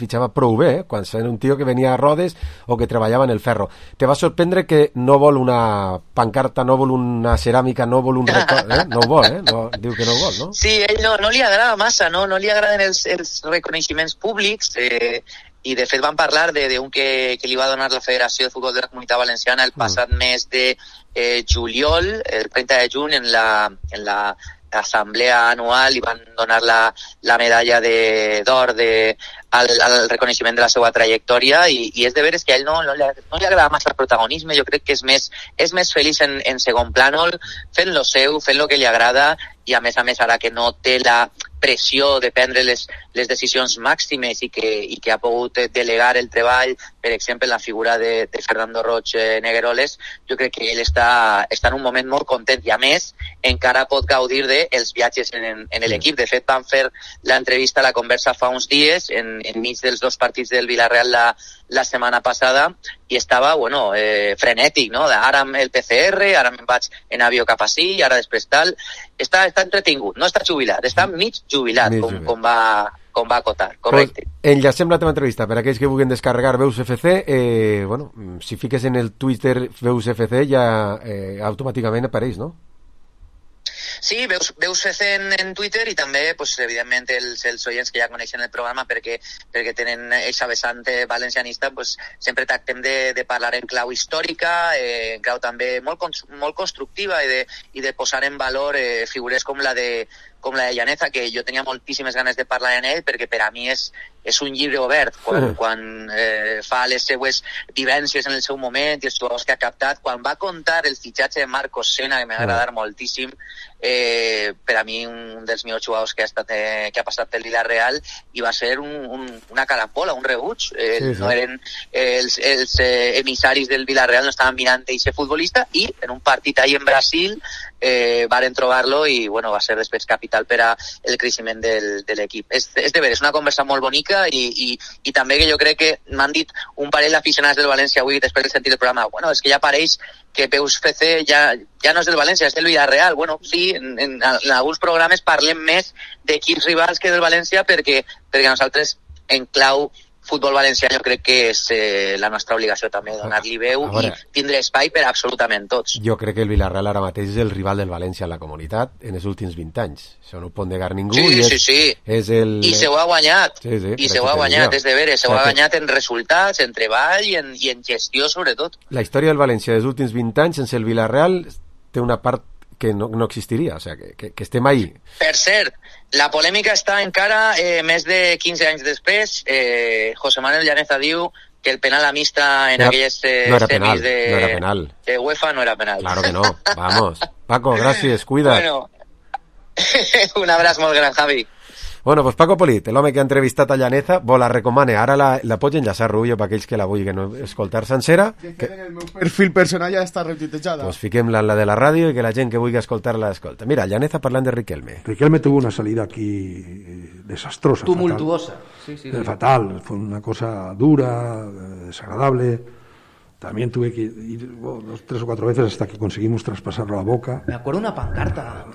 fitxava prou bé, quan era un tio que venia a rodes o que treballava en el ferro. Te va sorprendre que no vol una pancarta, no vol una ceràmica, no vol un record, no ho vol, no, diu que no ho vol, no? Sí, ell no li agrada massa, no li agraden els reconeixements públics, i de fet van parlar d'un que li va donar la Federació de Futbol de la Comunitat Valenciana el passat mes de juliol, el 30 de juny, en l'assemblea anual, li van donar la medalla d'or al reconeixement de la seva trajectòria, i és de veres que a ell no li agrada massa el protagonisme. Jo crec que és més feliç en segon plànol, fent lo seu, fent lo que li agrada, i a més ara que no té la pressió de prendre les decisions màximes i que ha pogut delegar el treball, per exemple, en la figura de Fernando Roig Negueroles, jo crec que ell està en un moment molt content, i a més encara pot gaudir dels viatges en l'equip. De fet, van fer l'entrevista, la conversa fa uns dies, enmig dels dos partits del Villarreal la setmana passada, i estava, frenètic, no? Ara amb el PCR, ara me'n vaig en avió cap ací, ara després tal. Està entretingut, no està jubilat, està mig jubilat, com va acotar, correcte. Pues enllacem la teva entrevista per aquells que vulguin descarregar Veus FC. Si fiques en el Twitter Veus FC ja automàticament apareix, no? Sí, veus FC en Twitter, i també, pues, evidentment, els oients que ja coneixen el programa perquè tenen aquesta vessant valencianista, pues, sempre tractem de parlar en clau històrica, en clau també molt constructiva, i de posar en valor figures com la de Llaneza, que jo tenia moltíssimes ganes de parlar en ell, perquè per a mi és un llibre obert quan fa les seues vivències en el seu moment i els jugadors que ha captat. Quan va contar el fitxatge de Marcos Sena, que m'ha agradat moltíssim, per a mi un dels millors jugadors que ha passat pel Villarreal, i va ser una carambola, un rebuig. No eren els emissaris del Villarreal, no estaven mirant d'aquest futbolista, i en un partit ahí en Brasil varen trobar-lo, i va ser després capital per a el creixement de l'equip. És de veres, una conversa molt bonica, i també que jo crec que m'han dit un parell d'aficionats del València avui després de sentir el programa, és que ja pareix que Veus FC ja no és del València, és del Villarreal. Sí, en alguns programes parlem més d'equips rivals que del València, perquè nosaltres, en clau futbol valencià, jo crec que és la nostra obligació també donar-li veu i tindre espai per a absolutament tots. Jo crec que el Villarreal ara mateix és el rival del València en la comunitat en els últims 20 anys. Això no ho pot negar ningú. Sí. I se ho ha guanyat. I se ho ha guanyat, és de veres. Se ho ha guanyat en resultats, en treball i en gestió, sobretot. La història del València dels últims 20 anys sense el Villarreal té una part que no existiria, o sigui, que estem ahí. Per cert, la polèmica està encara més de 15 anys després. José Manuel Llaneza diu que el penal a mixta en aquelles semis de UEFA no era penal. Claro que no, vamos. Paco, gràcies, cuida. Un abraç molt gran, Javi. Bueno, pues Paco Polit, l'home que ha entrevistat a Llaneza, la recomane. Ara la pots enllaçar, Rubio, per aquells que la vulguin escoltar sencera. Que en el meu perfil personal ja està retuitejada. Pues fiquem-la en la de la ràdio i que la gent que vulgui escoltar-la escolta. Mira, Llaneza parlant de Riquelme. Riquelme tuvo una salida aquí desastrosa. Tumultuosa. Fatal. Fue una cosa dura, desagradable. También tuve que ir 3 o 4 veces hasta que conseguimos traspasarlo a Boca. Me acuerdo una pancarta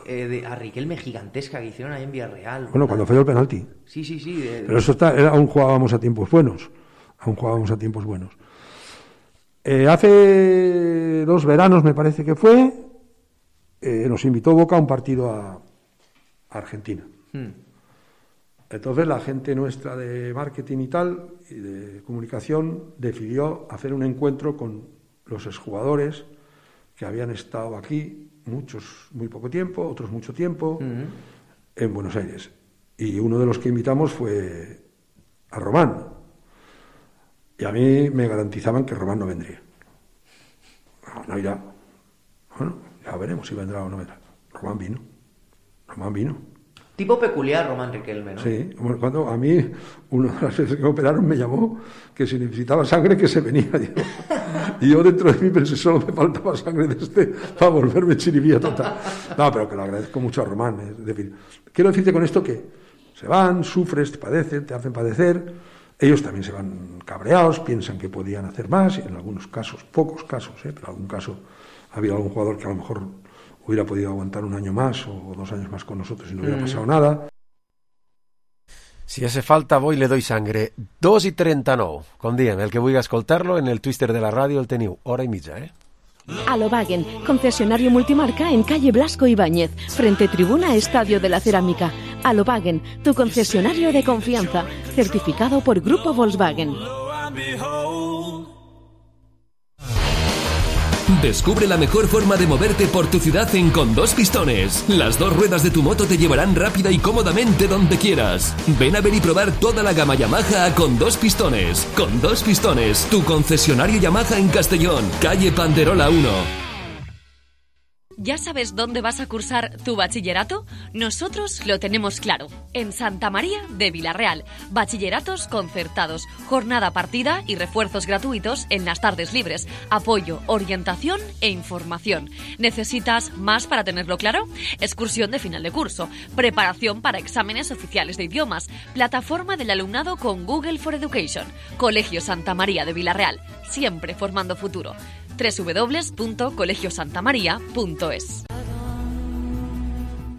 a Riquelme gigantesca que hicieron ahí en Villarreal. Bueno, cuando falló el penalti. Sí. Pero eso aún jugábamos a tiempos buenos. Hace 2 veranos, me parece que fue, nos invitó Boca a un partido a Argentina. Entonces la gente nuestra de marketing y tal, y de comunicación, decidió hacer un encuentro con los exjugadores que habían estado aquí, muchos muy poco tiempo, otros mucho tiempo, en Buenos Aires. Y uno de los que invitamos fue a Román. Y a mí me garantizaban que Román no vendría. No irá. Bueno, ya veremos si vendrá o no vendrá. Román vino. Tipo peculiar, Román Riquelme, ¿no? Sí, bueno, cuando a mí, una de las veces que me operaron, me llamó que si necesitaba sangre, que se venía. Y yo dentro de mí pensé, solo me faltaba sangre de para volverme chiribía total. No, pero que lo agradezco mucho a Román. Es decir, quiero decirte con esto que se van, sufres, te padecen, te hacen padecer. Ellos también se van cabreados, piensan que podían hacer más, y en algunos casos, pocos casos, pero en algún caso ha habido algún jugador que a lo mejor hubiera podido aguantar 1 año más o 2 años más con nosotros y no hubiera pasado nada. Si hace falta, voy le doy sangre. 2:39. Com diem, el que vulgui escoltar-lo en el Twitter de la ràdio el teniu, hora i mitja, Alobagen, concesionario multimarca en calle Blasco Ibáñez, frente tribuna Estadio de la Cerámica. Alobagen, tu concesionario de confianza, certificado por Grupo Volkswagen. Descubre la mejor forma de moverte por tu ciudad en Con Dos Pistones. Las 2 ruedas de tu moto te llevarán rápida y cómodamente donde quieras. Ven a ver y probar toda la gama Yamaha a Con Dos Pistones. Con Dos Pistones, tu concesionario Yamaha en Castellón, calle Panderola 1. ¿Ya sabes dónde vas a cursar tu bachillerato? Nosotros lo tenemos claro. En Santa María de Villarreal. Bachilleratos concertados, jornada partida y refuerzos gratuitos en las tardes libres. Apoyo, orientación e información. ¿Necesitas más para tenerlo claro? Excursión de final de curso. Preparación para exámenes oficiales de idiomas. Plataforma del alumnado con Google for Education. Colegio Santa María de Villarreal. Siempre formando futuro. www.colegiosantamaria.es.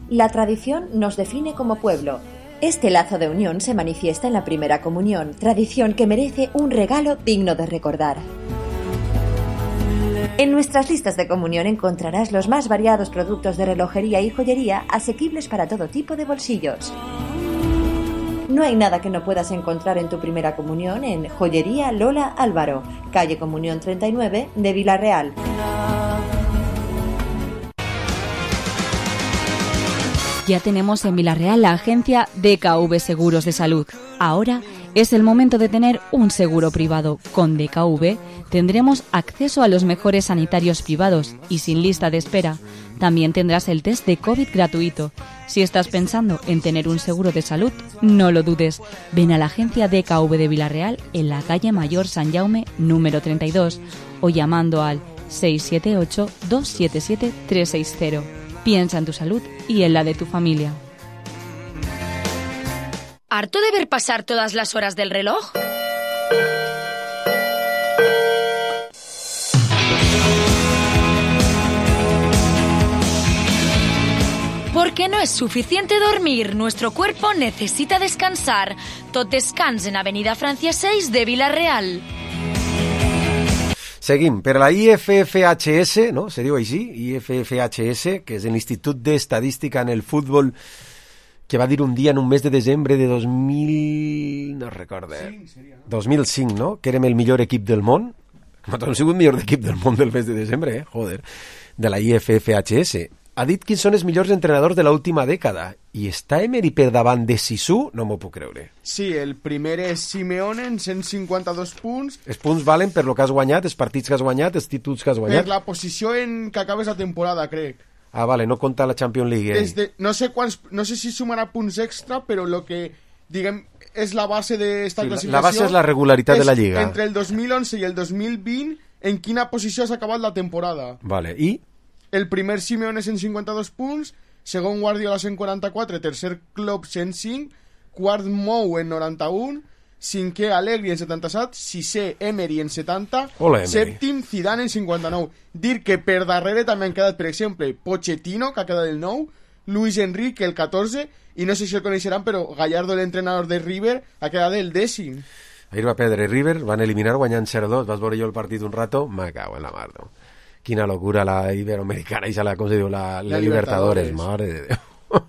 La tradición nos define como pueblo. Este lazo de unión se manifiesta en la primera comunión, tradición que merece un regalo digno de recordar. En nuestras listas de comunión encontrarás los más variados productos de relojería y joyería asequibles para todo tipo de bolsillos. No hay nada que no puedas encontrar en tu primera comunión en Joyería Lola Álvaro, calle Comunión 39 de Villarreal. Ya tenemos en Villarreal la agencia DKV Seguros de Salud. Ahora es el momento de tener un seguro privado. Con DKV tendremos acceso a los mejores sanitarios privados y sin lista de espera. También tendrás el test de COVID gratuito. Si estás pensando en tener un seguro de salud, no lo dudes. Ven a la agencia DKV de Villarreal en la calle Mayor San Jaume número 32 o llamando al 678-277-360. Piensa en tu salud y en la de tu familia. ¿Harto de ver pasar todas las horas del reloj? Porque no es suficiente dormir, nuestro cuerpo necesita descansar. Tot descans en Avenida Francia 6 de Villarreal. Seguim. Per a la IFFHS, no? Se diu així? IFFHS, que és l'Institut d'Estadística en el Futbol, que va dir un dia en un mes de desembre de 2000... no recorde. 2005, no? Que érem el millor equip del món. Nosaltres hem sigut el millor equip del món del mes de desembre, joder. De la IFFHS. Ha dit quins són els millors entrenadors de l'última dècada. I està Emery per davant de Sisu? No m'ho puc creure. Sí, el primer és Simeone en 152 punts. Els punts valen per lo que has guanyat, els partits que has guanyat, els títols que has guanyat? Per la posició en què acabes la temporada, crec. Ah, vale, no compta la Champions League. No sé si sumarà punts extra, però lo que, diguem, és la base d'esta classificació... La base és la regularitat de la Lliga. Entre el 2011 i el 2020, en quina posició has acabat la temporada. Vale, i... El primer Simeone 152 punts, segon Guardiola 144, tercer Klopp 105, quart Mou en 91, cinquè Allegri en 77, sisè Emery en 70, Hola, Emery. sèptim Zidane en 59. Dir que per darrere també han quedat, per exemple, Pochettino, que ha quedat el 9, Luis Enrique el 14, i no sé si el coneixeran, però Gallardo, l'entrenador de River, ha quedat el 10º. Ahir va perdre River, van eliminar guanyant 0-2, vas veure jo el partit un rato, me cago en la mar, no? Quina locura la iberoamericana, com se diu, la Libertadores, mare de Déu.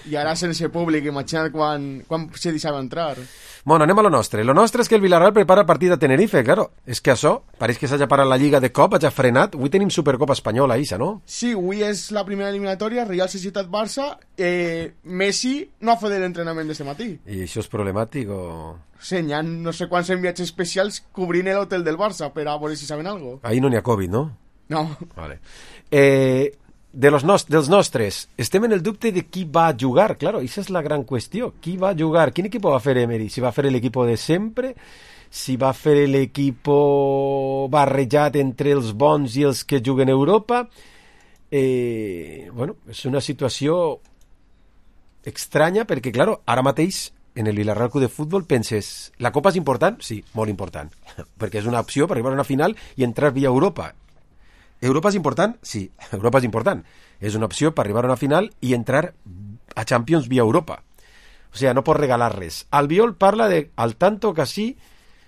I ara sense públic, imagina't quan se deixava entrar. Bueno, anem a lo nostre. Lo nostre és que el Villarreal prepara el partit a Tenerife, claro. És que això, pareix que s'hagi parat la Lliga de cop, hagi frenat. Avui tenim Supercopa Espanyola, Isa, no? Sí, avui és la primera eliminatòria, Real Societat-Barça. Messi no ha fet l'entrenament d'este matí. I això és problemàtic o...? Sí, hi ha no sé quants enviats especials cobrint l'hotel del Barça per a veure si saben alguna cosa. Ahí no n'hi ha Covid, no? No. Vale. Dels nostres, estem en el dubte de qui va jugar, claro, aquesta és la gran qüestió, qui va jugar, quin equip va fer Emery, si va fer l'equip de sempre, si va fer l'equip barrejat entre els bons i els que juguen a Europa. Bueno, és una situació estranya perquè, claro, ara mateix en el Villarreal Club de Futbol penses, la Copa és important? Sí, molt important, perquè és una opció per arribar a una final i entrar via Europa. Europa és important? Sí, Europa és important. És una opció per arribar a una final i entrar a Champions via Europa. O sigui, no pots regalar res. Albiol parla de, al tanto que sí,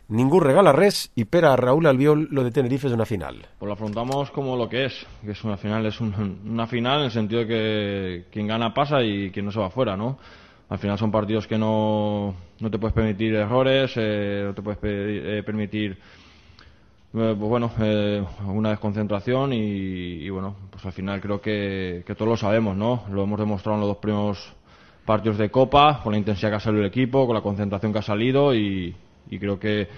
ningú regala res, y per a Raúl Albiol lo de Tenerife es una final. Pues lo afrontamos como lo que es una final. Es una final en el sentido de que quien gana pasa y quien no se va fuera, ¿no? Al final son partidos que no te puedes permitir errores, no te puedes permitir... pues bueno, una desconcentración y bueno, pues al final creo que todos lo sabemos, ¿no? Lo hemos demostrado en los 2 primeros partidos de Copa, con la intensidad que ha salido el equipo, con la concentración que ha salido y creo que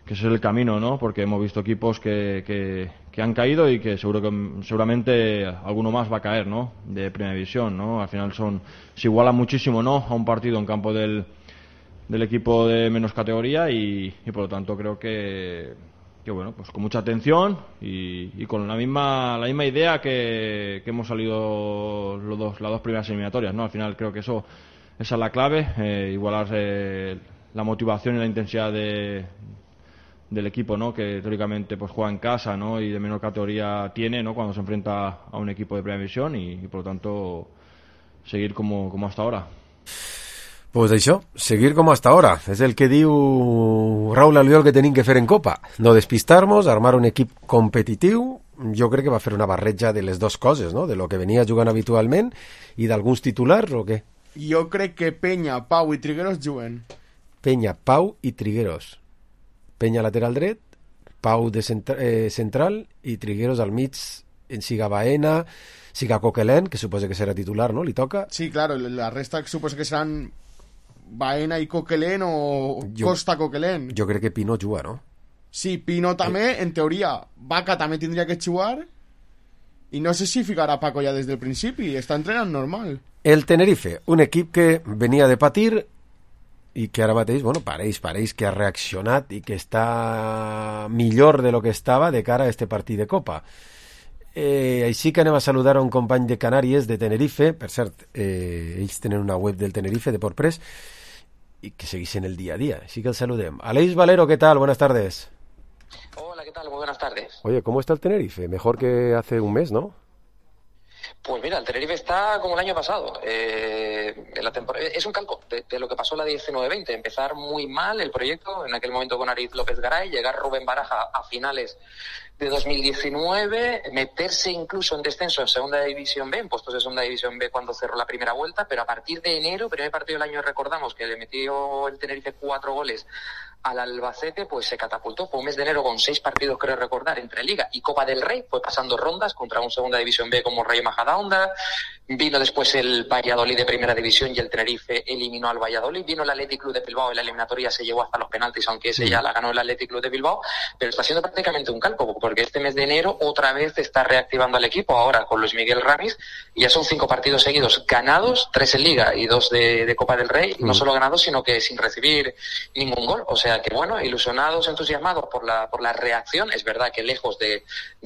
ese es el camino, ¿no? Porque hemos visto equipos que han caído y que seguramente alguno más va a caer, ¿no? De primera división, ¿no? Al final se iguala muchísimo, ¿no? A un partido en campo del equipo de menos categoría y por lo tanto creo que bueno, pues con mucha atención y con la misma idea que hemos salido las 2 primeras eliminatorias, ¿no? Al final creo que esa es la clave, igualar la motivación y la intensidad del equipo, ¿no? Que teóricamente pues juega en casa, ¿no? Y de menor categoría tiene, ¿no? Cuando se enfrenta a un equipo de primera división y por lo tanto seguir como hasta ahora. Pues això, seguir com hasta ahora. És el que diu Raúl Albiol que tenim que fer en Copa. No despistar-nos, armar un equip competitiu. Jo crec que va fer una barreja de les 2 coses, no? De lo que venia jugant habitualment i d'alguns titulars, o què? Jo crec que Peña, Pau i Trigueros juguen. Peña, Pau i Trigueros. Peña lateral dret, Pau de central i Trigueros al mig, en siga Baena, siga Coquelin, que suposa que serà titular, no? Li toca? Sí, claro, la resta suposa que seran Baena i Coquelin o Costa Coquelin. Jo crec que Pino juga, no? Sí, Pino també, en teoria. Vaca també tindria que jugar i no sé si ficarà Paco ja des del principi, està entrenant normal. El Tenerife, un equip que venia de patir i que ara mateix, bueno, pareix que ha reaccionat i que està millor de lo que estava de cara a este partit de Copa. Així que anem a saludar a un company de Canàries, de Tenerife, per cert, ells tenen una web del Tenerife, de Portpress, y que seguís en el día a día. Así que el saludem. Aleix Valero, ¿qué tal? Buenas tardes. Hola, ¿qué tal? Muy buenas tardes. Oye, ¿cómo está el Tenerife? Mejor que hace un mes, ¿no? Pues mira, el Tenerife está como el año pasado. En la temporada, es un calco de lo que pasó la 19-20. Empezar muy mal el proyecto, en aquel momento con Ariz López Garay, llegar Rubén Baraja a finales de 2019, meterse incluso en descenso en Segunda División B, en puestos de Segunda División B cuando cerró la primera vuelta, pero a partir de enero, primer partido del año, recordamos que le metió el Tenerife 4 goles al Albacete, pues se catapultó. Fue un mes de enero con 6 partidos, creo recordar, entre Liga y Copa del Rey. Fue pasando rondas contra un Segunda División B como Rayo Majadahonda. Vino después el Valladolid de Primera División y el Tenerife eliminó al Valladolid. Vino el Athletic Club de Bilbao y la eliminatoria se llevó hasta los penaltis, aunque ese ya la ganó el Athletic Club de Bilbao. Pero está siendo prácticamente un calco, porque este mes de enero otra vez está reactivando al equipo, ahora con Luis Miguel Ramis, y ya son 5 partidos seguidos ganados, 3 en Liga y 2 de Copa del Rey. No solo ganados, sino que sin recibir ningún gol. O sea, sea que, bueno, ilusionados, entusiasmados por la reacción. Es verdad que lejos de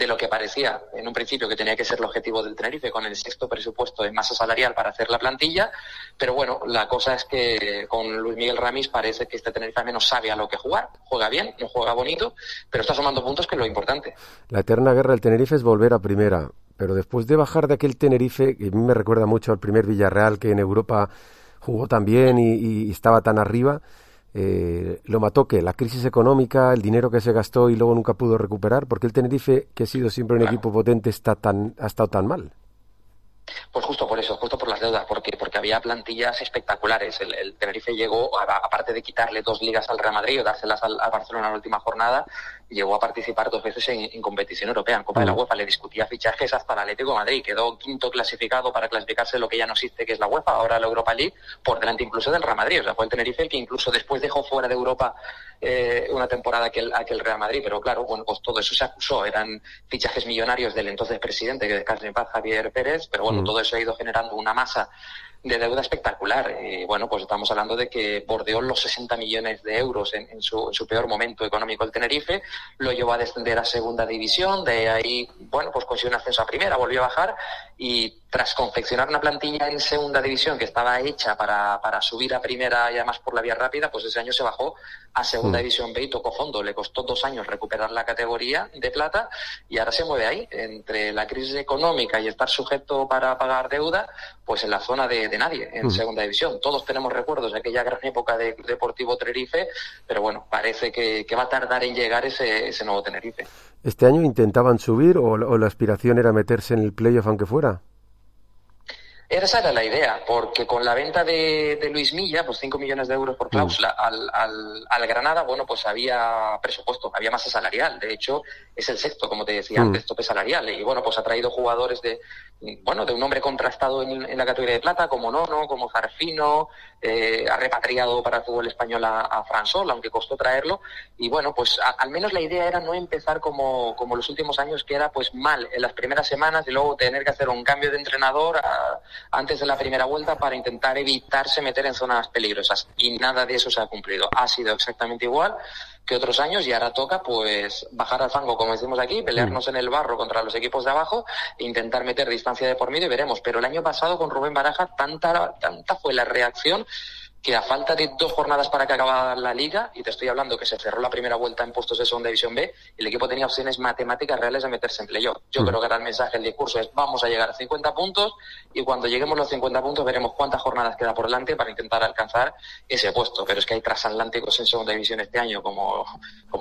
lo que parecía en un principio que tenía que ser el objetivo del Tenerife, con el 6º presupuesto en masa salarial para hacer la plantilla, pero bueno, la cosa es que con Luis Miguel Ramis parece que este Tenerife al menos sabe a lo que jugar, juega bien, no juega bonito, pero está sumando puntos, que es lo importante. La eterna guerra del Tenerife es volver a primera, pero después de bajar de aquel Tenerife, que a mí me recuerda mucho al primer Villarreal, que en Europa jugó tan bien y estaba tan arriba, lo mató ¿qué? La crisis económica, el dinero que se gastó y luego nunca pudo recuperar. ¿Por qué el Tenerife, que ha sido siempre un equipo potente, ha estado tan mal? Pues justo por eso, justo por las deudas, porque había plantillas espectaculares. El Tenerife llegó, aparte de quitarle 2 ligas al Real Madrid o dárselas al Barcelona en la última jornada, llegó a participar 2 veces en competición europea, en Copa de la UEFA. Le discutía fichajes hasta el Atlético de Madrid, quedó 5º clasificado para clasificarse lo que ya no existe, que es la UEFA, ahora la Europa League, por delante incluso del Real Madrid. O sea, fue el Tenerife el que incluso después dejó fuera de Europa una temporada aquel Real Madrid, pero claro, bueno, pues todo eso se acusó, eran fichajes millonarios del entonces presidente, que descanse en paz, Javier Pérez, pero bueno, todo eso ha ido generando una masa de deuda espectacular. Y bueno, pues estamos hablando de que bordeó los 60 millones de euros en su peor momento económico el Tenerife, lo llevó a descender a segunda división, de ahí, bueno, pues consiguió un ascenso a primera, volvió a bajar, y tras confeccionar una plantilla en segunda división que estaba hecha para subir a primera y además por la vía rápida, pues ese año se bajó a segunda división B y tocó fondo. Le costó 2 años recuperar la categoría de plata y ahora se mueve ahí, entre la crisis económica y estar sujeto para pagar deuda, pues en la zona de nadie, en segunda división. Todos tenemos recuerdos de aquella gran época de Deportivo Tenerife, pero bueno, parece que va a tardar en llegar ese nuevo Tenerife. ¿Este año intentaban subir o la aspiración era meterse en el playoff aunque fuera? Esa era la idea, porque con la venta de Luis Milla, pues 5 millones de euros por cláusula al Granada, bueno, pues había presupuesto, había masa salarial. De hecho, es el 6º, como te decía antes, tope salarial. Y bueno, pues ha traído jugadores de un nombre contrastado en la categoría de plata, como Nono, como Zarfino, ha repatriado para el fútbol español a Fran Sol, aunque costó traerlo. Y bueno, pues al menos la idea era no empezar como los últimos años, que era pues mal en las primeras semanas y luego tener que hacer un cambio de entrenador antes de la primera vuelta para intentar evitarse meter en zonas peligrosas. Y nada de eso se ha cumplido. Ha sido exactamente igual que otros años y ahora toca pues bajar al fango, como decimos aquí, pelearnos en el barro contra los equipos de abajo e intentar meter distancia de por medio y veremos. Pero el año pasado con Rubén Baraja tanta fue la reacción que a falta de 2 jornadas para que acabara la Liga, y te estoy hablando que se cerró la primera vuelta en puestos de segunda división B, el equipo tenía opciones matemáticas reales de meterse en playoff. Yo creo que ahora el mensaje, el discurso es: vamos a llegar a 50 puntos y cuando lleguemos a los 50 puntos veremos cuántas jornadas queda por delante para intentar alcanzar ese puesto. Pero es que hay transatlánticos en segunda división este año, como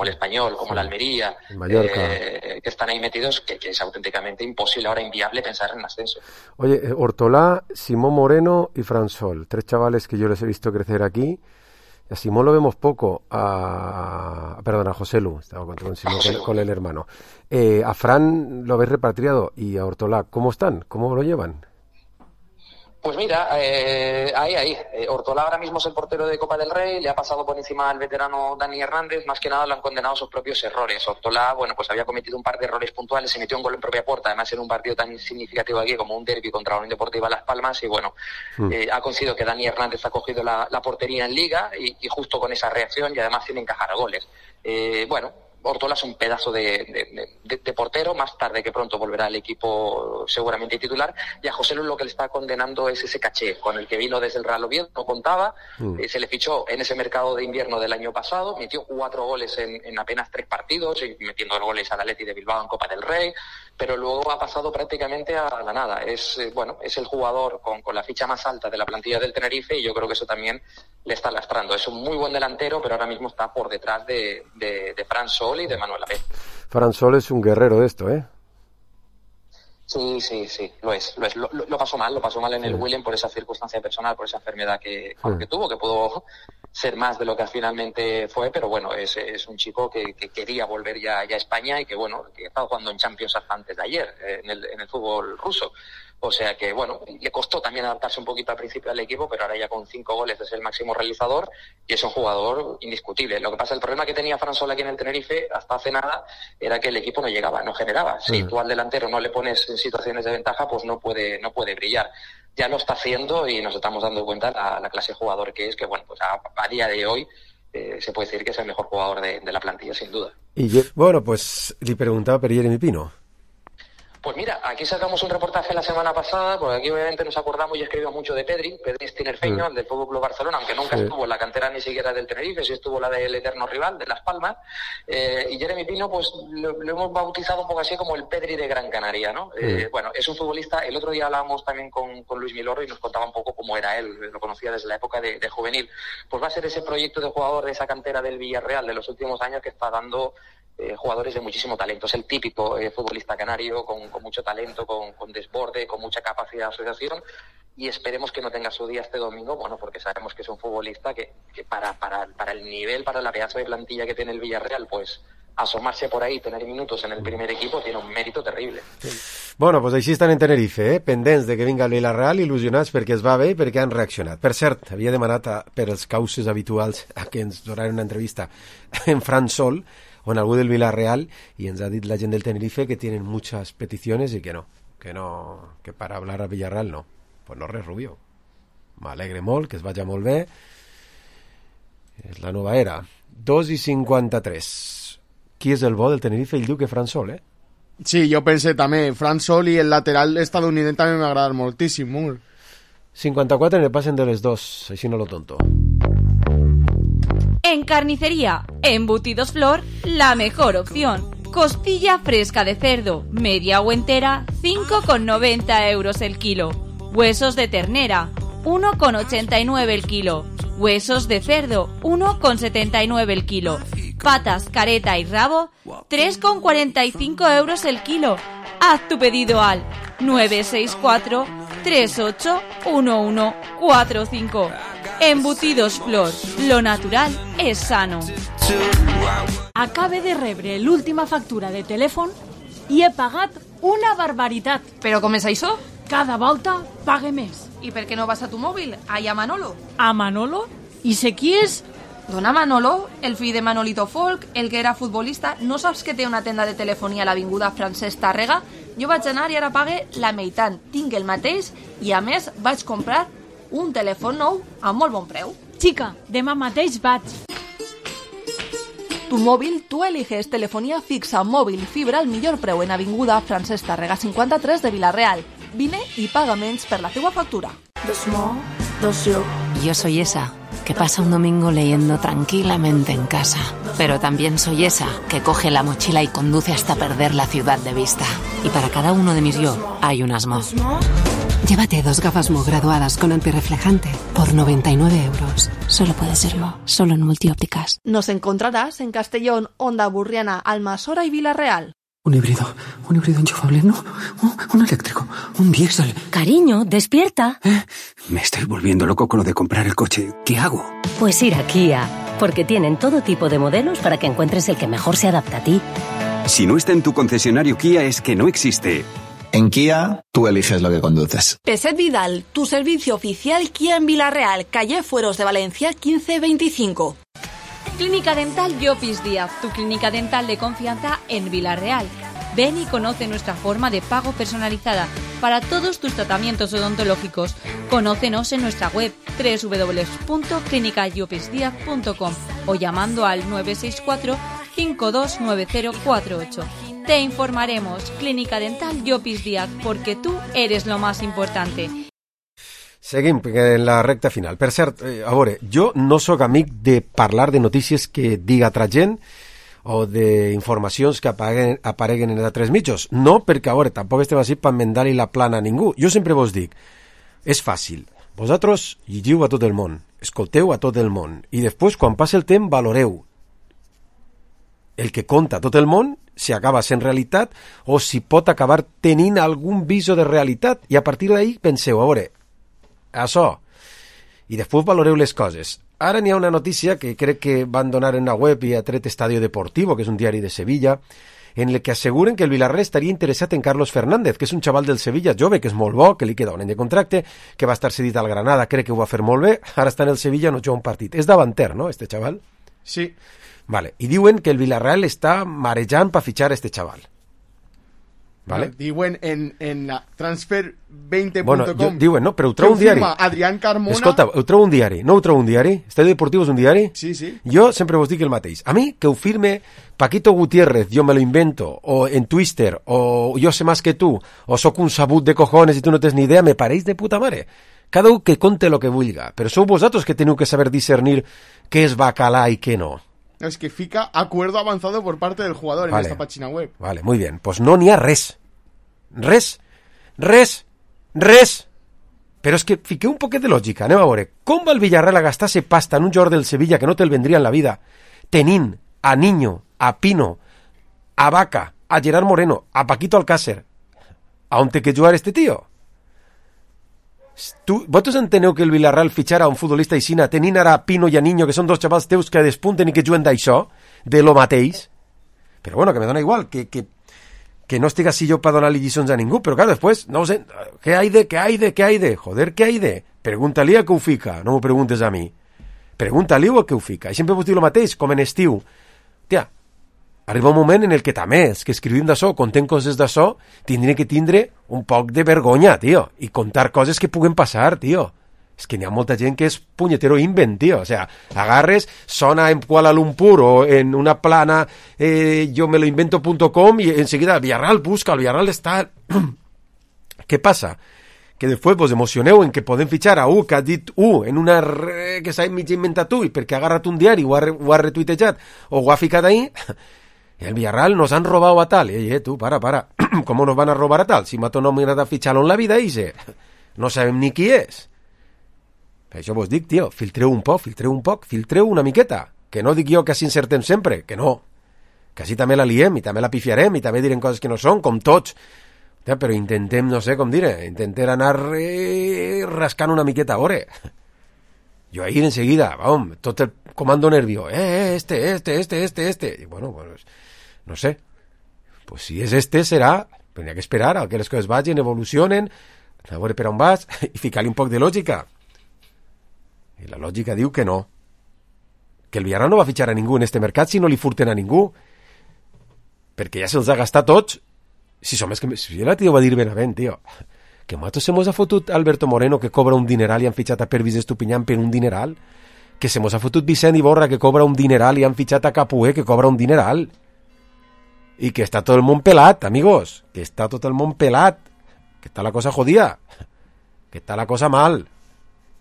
el Español, como la Almería, que están ahí metidos, que es auténticamente imposible, ahora inviable pensar en ascenso. Oye, Ortolá, Simón Moreno y Fran Sol, 3 chavales que yo les he visto crecer aquí. A Simón lo vemos poco, a José Lu, estaba con el hermano. A Fran lo habéis repatriado, y a Ortolá, ¿cómo están? ¿Cómo lo llevan? Pues mira, ahí. Ortolá ahora mismo es el portero de Copa del Rey, le ha pasado por encima al veterano Dani Hernández, más que nada lo han condenado sus propios errores. Ortolá, bueno, pues había cometido un par de errores puntuales, se metió un gol en propia puerta, además en un partido tan significativo aquí como un derbi contra la Unión Deportiva Las Palmas, y bueno, ha conseguido que Dani Hernández ha cogido la portería en Liga y justo con esa reacción, y además tiene encajar goles. Ortolá es un pedazo de portero, más tarde que pronto volverá al equipo seguramente titular, y a José Lu lo que le está condenando es ese caché con el que vino desde el Real Oviedo, no contaba, se le fichó en ese mercado de invierno del año pasado, metió 4 goles en apenas 3 partidos, y metiendo goles al Atleti de Bilbao en Copa del Rey, pero luego ha pasado prácticamente a la nada. Es el jugador con la ficha más alta de la plantilla del Tenerife, y yo creo que eso también le está lastrando. Es un muy buen delantero, pero ahora mismo está por detrás de Fran Sol y de Manuel Abel. Fran Sol es un guerrero de esto, ¿eh? Sí, lo es. Lo pasó mal en el William por esa circunstancia personal, por esa enfermedad que tuvo, que pudo ser más de lo que finalmente fue, pero bueno, es un chico que quería volver ya a España y que estaba jugando en Champions hasta antes de ayer, en el fútbol ruso. O sea que, bueno, le costó también adaptarse un poquito al principio al equipo, pero ahora ya con 5 goles es el máximo realizador y es un jugador indiscutible. Lo que pasa, el problema que tenía Fran Sol aquí en el Tenerife hasta hace nada era que el equipo no llegaba, no generaba. Si tú al delantero no le pones en situaciones de ventaja, pues no puede brillar. Ya lo está haciendo y nos estamos dando cuenta la clase de jugador que es, que bueno, pues a día de hoy se puede decir que es el mejor jugador de la plantilla, sin duda. Bueno, pues le preguntaba por Jeremy Pino. Pues mira, aquí sacamos un reportaje la semana pasada, porque aquí obviamente nos acordamos y escribimos mucho de Pedri es tinerfeño, el del Fútbol Club Barcelona, aunque nunca estuvo en la cantera ni siquiera del Tenerife, sí estuvo la del eterno rival, de Las Palmas, y Jeremy Pino pues lo hemos bautizado un poco así como el Pedri de Gran Canaria, ¿no? Bueno, es un futbolista, el otro día hablábamos también con Luis Milorro y nos contaba un poco cómo era él, lo conocía desde la época de juvenil, pues va a ser ese proyecto de jugador de esa cantera del Villarreal de los últimos años que está dando jugadores de muchísimo talento. Es el típico futbolista canario con mucho talento, con desborde, con mucha capacidad de asociación, y esperemos que no tenga su día este domingo, bueno, porque sabemos que es un futbolista que para el nivel, para la pedazo de plantilla que tiene el Villarreal, pues asomarse por ahí, tener minutos en el primer equipo, tiene un mérito terrible. Bueno, pues així estan en Tenerife, pendents de que vinga el Villarreal, il·lusionats perquè es va bé i perquè han reaccionat. Per cert, havia demanat per els causes habituals a que ens donaran una entrevista en Fran Sol o en algú del Villarreal, y ens ha dit la gent del Tenerife que tienen muchas peticiones y que para hablar a Villarreal no. Pues no res, Rubio. M'alegre molt, que es vagi molt bé. És la nova era. 2:53. Qui és el bo del Tenerife? Ell diu que Fran Sol, Sí, jo pensé també. Fran Sol i el lateral estadounidense també m'agrada moltíssim. 54 en el pasen de les dos, així no lo tonto. En carnicería, embutidos Flor, la mejor opción. Costilla fresca de cerdo, media o entera, 5,90 euros el kilo. Huesos de ternera, 1,89 el kilo. Huesos de cerdo, 1,79 el kilo. Patas, careta y rabo, 3,45 euros el kilo. Haz tu pedido al 964 38 1145. Embutidos Flor, lo natural és sano. Acabe de rebre l'última factura de telèfon i he pagat una barbaritat. Però com és això? Cada volta pague més. I per què no vas a tu mòbil? Allà a Manolo. A Manolo? I sé qui és? Dona Manolo, el fill de Manolito Folk, el que era futbolista. No saps que té una tenda de telefonia a l'avinguda Francesc Tàrrega? Jo vaig anar i ara pague la meitat. Tinc el mateix i a més vaig comprar un telèfon nou a molt bon preu. Chica, demà mateix vaig. Tu mòbil, tu eliges telefonía fixa, mòbil i fibra al millor preu en avinguda Francesc Tàrrega 53 de Villarreal. Vine i paga menys per la teua factura. Yo soy esa que pasa un domingo leyendo tranquilamente en casa, pero también soy esa que coge la mochila y conduce hasta perder la ciudad de vista. Y para cada uno de mis yo hay un Asmo. Llévate 2 gafas Mo graduadas con antirreflejante por 99 euros. Solo puede ser Mo, solo en Multiópticas. Nos encontrarás en Castellón, Onda Burriana, Almasora y Villarreal. Un híbrido enchufable, no, un eléctrico, un diésel. Cariño, despierta. Me estoy volviendo loco con lo de comprar el coche. ¿Qué hago? Pues ir a Kia, porque tienen todo tipo de modelos para que encuentres el que mejor se adapta a ti. Si no está en tu concesionario Kia es que no existe. En Kia, tú eliges lo que conduces. Peset Vidal, tu servicio oficial Kia en Villarreal, calle Fueros de Valencia 1525. Clínica Dental Llopis Díaz, tu clínica dental de confianza en Villarreal. Ven y conoce nuestra forma de pago personalizada para todos tus tratamientos odontológicos. Conócenos en nuestra web www.clinicallopisdiaz.com o llamando al 964 529048. Te informaremos. Clínica Dental Llopis Díaz, porque tú eres lo más importante. Seguim en la recta final. Per cert, a veure, jo no sóc amic de parlar de notícies que diga altra gent o d'informacions que apareguen en altres mitjos. No, perquè, a veure, tampoc estem així per mendar-li la plana a ningú. Jo sempre vos dic, és fàcil. Vosaltres llegiu a tot el món, escolteu a tot el món, i després, quan passa el temps, valoreu el que conta tot el món, si acaba sent realitat o si pot acabar tenint algun viso de realitat, i a partir d'ahí penseu, a veure, això, i després valoreu les coses. Ara n'hi ha una notícia que crec que van donar en la web i ha tret Estadio Deportivo, que és un diari de Sevilla, en el que asseguren que el Villarreal estaria interessat en Carlos Fernández, que és un xaval del Sevilla jove, que és molt bo, que li queda un any de contracte, que va estar cedit al Granada, crec que ho va fer molt bé, ara està en el Sevilla, no juga un partit. És davanter, no, este xaval? Sí. Vale. I diuen que el Villarreal està marejant per fitxar este xaval. Vale? Diuen en la transfer20.com. Bueno, diuen, no, però ho trobo un diari. Adrián Carmona. Escolta, ho trobo un diari. No ho trobo un diari? Estadio Deportivo és un diari? Sí, sí. Jo sempre vos dic el mateix. A mi, que ho firme Paquito Gutiérrez, yo me lo invento, o en Twitter, o yo sé más que tú, o soc un sabut de cojones y tú no tens ni idea, me pareix de puta mare. Cada un que conte lo que vulga, però sou vosaltres que teniu que saber discernir què és bacalà i què no. Es que fica acuerdo avanzado por parte del jugador en esta página web. Vale, muy bien. Pues no n'hi ha res. Res. Però és que fiqueu un poquet de lògica. Anem a veure. Com va el Villarreal a gastar-se pasta en un jugador del Sevilla que no te'l vendria en la vida, tenint a Niño, a Pino, a Vaca, a Gerard Moreno, a Paquito Alcácer? A on té que jugar este tío? Vosaltres enteneu que el Villarreal fitxara un futbolista aixina tenint ara a Pino i a Niño, que són dos xavals teus que despunten i que juguen d'això, de lo mateix? Però bueno, que me dona igual, que no estic així jo per donar-li lliçons a ningú, però claro, després, no sé, ¿qué hay de? Joder, ¿qué hay de? Pregunta-li a que ho fica, no m'ho preguntes a mi. Pregunta-li a que ho fica. I sempre vos dic el mateix, com en estiu. Tia, arriba un moment en el que també els que escrivim d'això, contem coses d'això, tindrem que tindre un poc de vergonya, tio, i contar coses que puguen passar, tio. És que n'hi ha molta gent que és punyetero invent, tio. O sea, agarres, sona en Kuala Lumpur o en una plana yo me lo invento.com y enseguida Villarreal busca, el Villarreal està... Què passa? Que després vos emocioneu en que podem fitxar a que ha dit en una que s'ha mig inventat i perquè ha agarrat un diari, ho ha retuitejat o ho ha ficat ahí. El Villarreal nos han robado a tal. Tú, para. ¿Cómo nos van a robar a tal? Si Mato no me ha fichado en la vida, dice. No sabem ni qui és. Per això vos dic, tio, filtreu un poc, filtreu una miqueta. Que no dic jo que així encertem sempre, que no. Que així també la liem i també la pifiarem i també direm coses que no són, com tots. Però intentem, no sé com dir, intentem anar rascant una miqueta a veure. Jo ahir enseguida, tot el comando nervio, este. Y bueno, pues, no sé. Pues si és serà, però n'hi ha que esperar a que les coses vagin, evolucionen, a veure per on vas, i ficar-li un poc de lògica. I la lògica diu que no. Que el Villarreal no va fitxar a ningú en este mercat si no li furten a ningú. Perquè ja se'ls ha gastat tots. Si som, és que si la tio va dir Benavent, tio, que nosaltres se mos ha fotut Alberto Moreno, que cobra un dineral i han fitxat a Pervis Estupiñán per un dineral, que se mos ha fotut Vicent Iborra, que cobra un dineral i han fitxat a Capué, que cobra un dineral, i que està tot el món pelat, amigos, que està tot el món pelat, que està la cosa jodida, que està la cosa mal,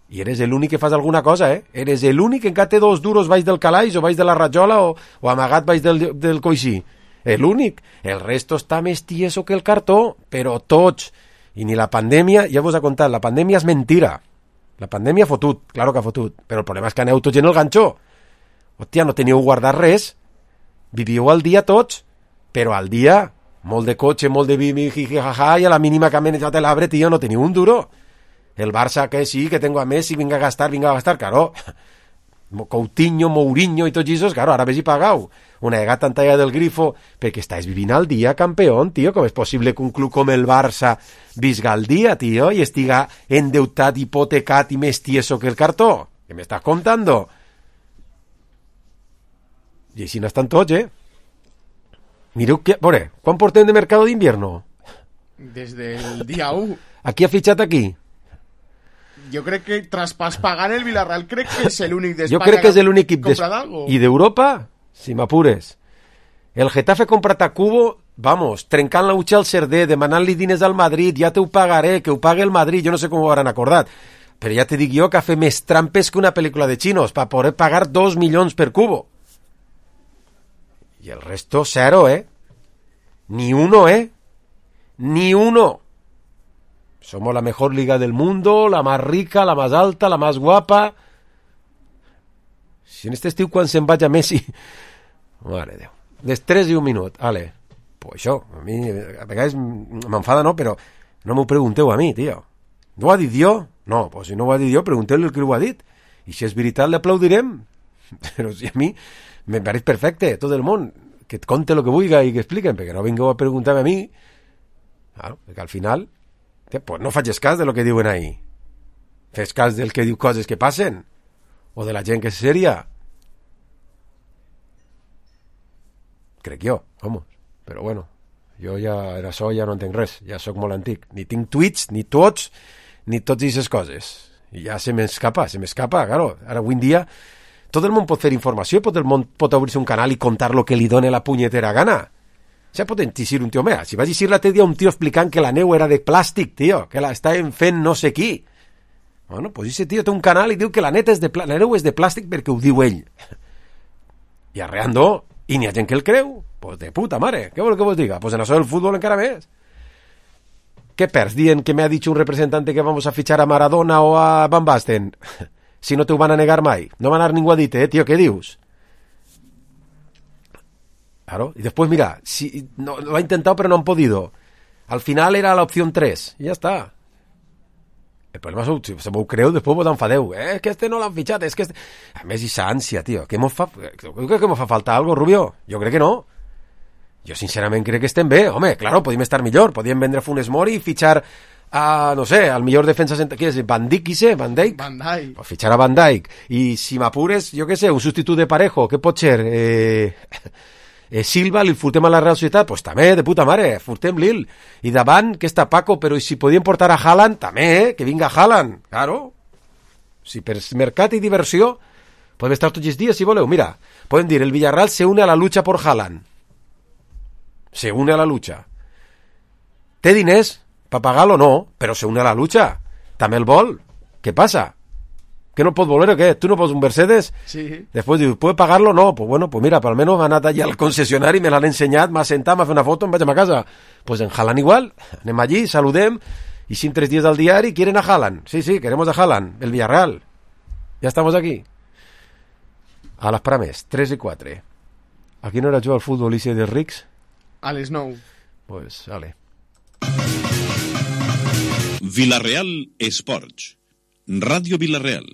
i eres l'únic que fas alguna cosa, eres l'únic que encara té 2 duros baix del calaix o baix de la rajola o amagat baix del coixí. L'únic. El resto està més tieso que el cartó, però tots. I ni la pandèmia, ja vos ha contat, la pandèmia és mentira. La pandèmia ha fotut, claro que ha fotut, però el problema és que aneu tots en el ganxó. Hòstia, no teníeu guardat res, vivíeu al dia tots, però al dia, molt de cotxe, molt de bimi, jijijaja, i a la mínima que ha menjat l'arbre, tio, no teniu un duro. El Barça, que sí, que tengo a Messi, vinga a gastar, claro. Coutinho, Mourinho i tots aquests, claro, ara ves i pagau. Una vegada tan talla del grifo, perquè estàs vivint al dia, campeón, tio. Com és possible que un club com el Barça visga al dia, tio, i estiga endeutat, hipotecat i més tieso que el cartó? Què m'estàs contando? I així n'estan tots, Mireu, veure, quan portem de mercado d'invierno? Desde el día 1. Aquí ha fitxat aquí? Jo crec que tras pagar el Villarreal crec que és l'únic d'Espanya. Jo crec que és l'únic equip i d'Europa, si m'apures. El Getafe comprat a Cubo, vamos, trencant la utxa al Cerdé, demanant-li diners al Madrid, ja te ho pagaré, que ho pague el Madrid, jo no sé com ho hauran acordat, però ja te dic jo que ha fet més trampes que una pel·lícula de xinos per poder pagar 2 milions per Cubo. I el resto, 0, Ni uno, Ni uno. Somos la mejor liga del mundo, la más rica, la más alta, la más guapa. Si en este estiu quan se'n vaig a Messi... Mare Déu. Les 3 i 1 minut. Ale. Pues això, a mi a vegades m'enfada, no? Però no m'ho pregunteu a mi, tio. No ho ha dit jo? No, pues si no ho ha dit jo, pregunteu-li el que ho ha dit. I si és veritat, l'aplaudirem. Però si a mi me pareix perfecte, tot el món, que et conte el que vulgui i que expliquen, perquè no vingueu a preguntar-me a mi. Claro, perquè al final... Pues no faig cas de lo que diuen ahí. Fes cas del que diu coses que passen. O de la gent que és sèria. Crec jo, vamos. Però bueno, Jo ja, això ja no entenc res, ja sóc molt antic. Ni tinc tuits, ni tots aquestes coses. I ja se m'escapa, claro. Ara, avui en dia, tot el món pot fer informació, tot el món pot obrir-se un canal i contar lo que li done la punyetera gana. Ja pot dir un tio, mira, si vaig dir l'altre dia un tio explicant que la neu era de plàstic, tio, que la estaven fent no sé qui. Bueno, pues ese tio té un canal i diu que la neu és de plàstic perquè ho diu ell. I arreando, i n'hi ha gent que el creu. Pues de puta mare, què vol que vos diga? Pues en això del futbol encara més. ¿Qué perds dient que me ha dicho un representante que vamos a fichar a Maradona o a Van Basten? Si no te ho van a negar mai. No van a dar ningú a dir-te, tio, què dius? Claro, y después mira, si, no, lo ha intentado pero no han podido. Al final era la opción 3, y ya está. El problema és que se m'ho creu, després vos enfadeu. És que este no l'han fitxat, és que este... A més, aquesta ànsia, tio. Que mos fa falta algo, Rubio? Jo crec que no. Jo sincerament crec que estem bé. Home, claro, podíem estar millor. Podíem vendre Funes Mori i fitxar a, no sé, al millor defensa... Què és? Van Dijk, qui sé? Van Dijk? Van Dijk. O fitxar a Van Dijk. I si m'apures, jo què sé, un substitut de Parejo, què pot ser? Silva, li furtem a la Real Societat, pues també, de puta mare, furtem-li'l. I davant, que està Paco, però si podien portar a Haaland, també, que vinga Haaland, claro. Si per mercat i diversió, podem estar tots els dies, si voleu. Mira, podem dir, el Villarreal se une a la lucha por Haaland. Se une a la lucha. Té diners, per pagar-lo no, però se une a la lucha. També el vol. Què passa? ¿Que no puedo volver o qué? ¿Tú no puedes un Mercedes? Sí. Después digo, ¿puedes pagarlo? No. Pues bueno, pues mira, por lo menos han anat allà al concesionario y me l'han ensenyat, m'ha sentat, m'ha fet una foto, em vaig a casa. Pues en Haaland igual. Anem allí, saludem, y sin 3 días al diario quieren a Haaland. Sí, sí, queremos a Haaland, el Villarreal. Ya estamos aquí. A les prames, 3 i 4. A qui no era jo al futbol Ise de Rics? A les 9. Pues, vale. Villarreal Esports. Ràdio Villarreal.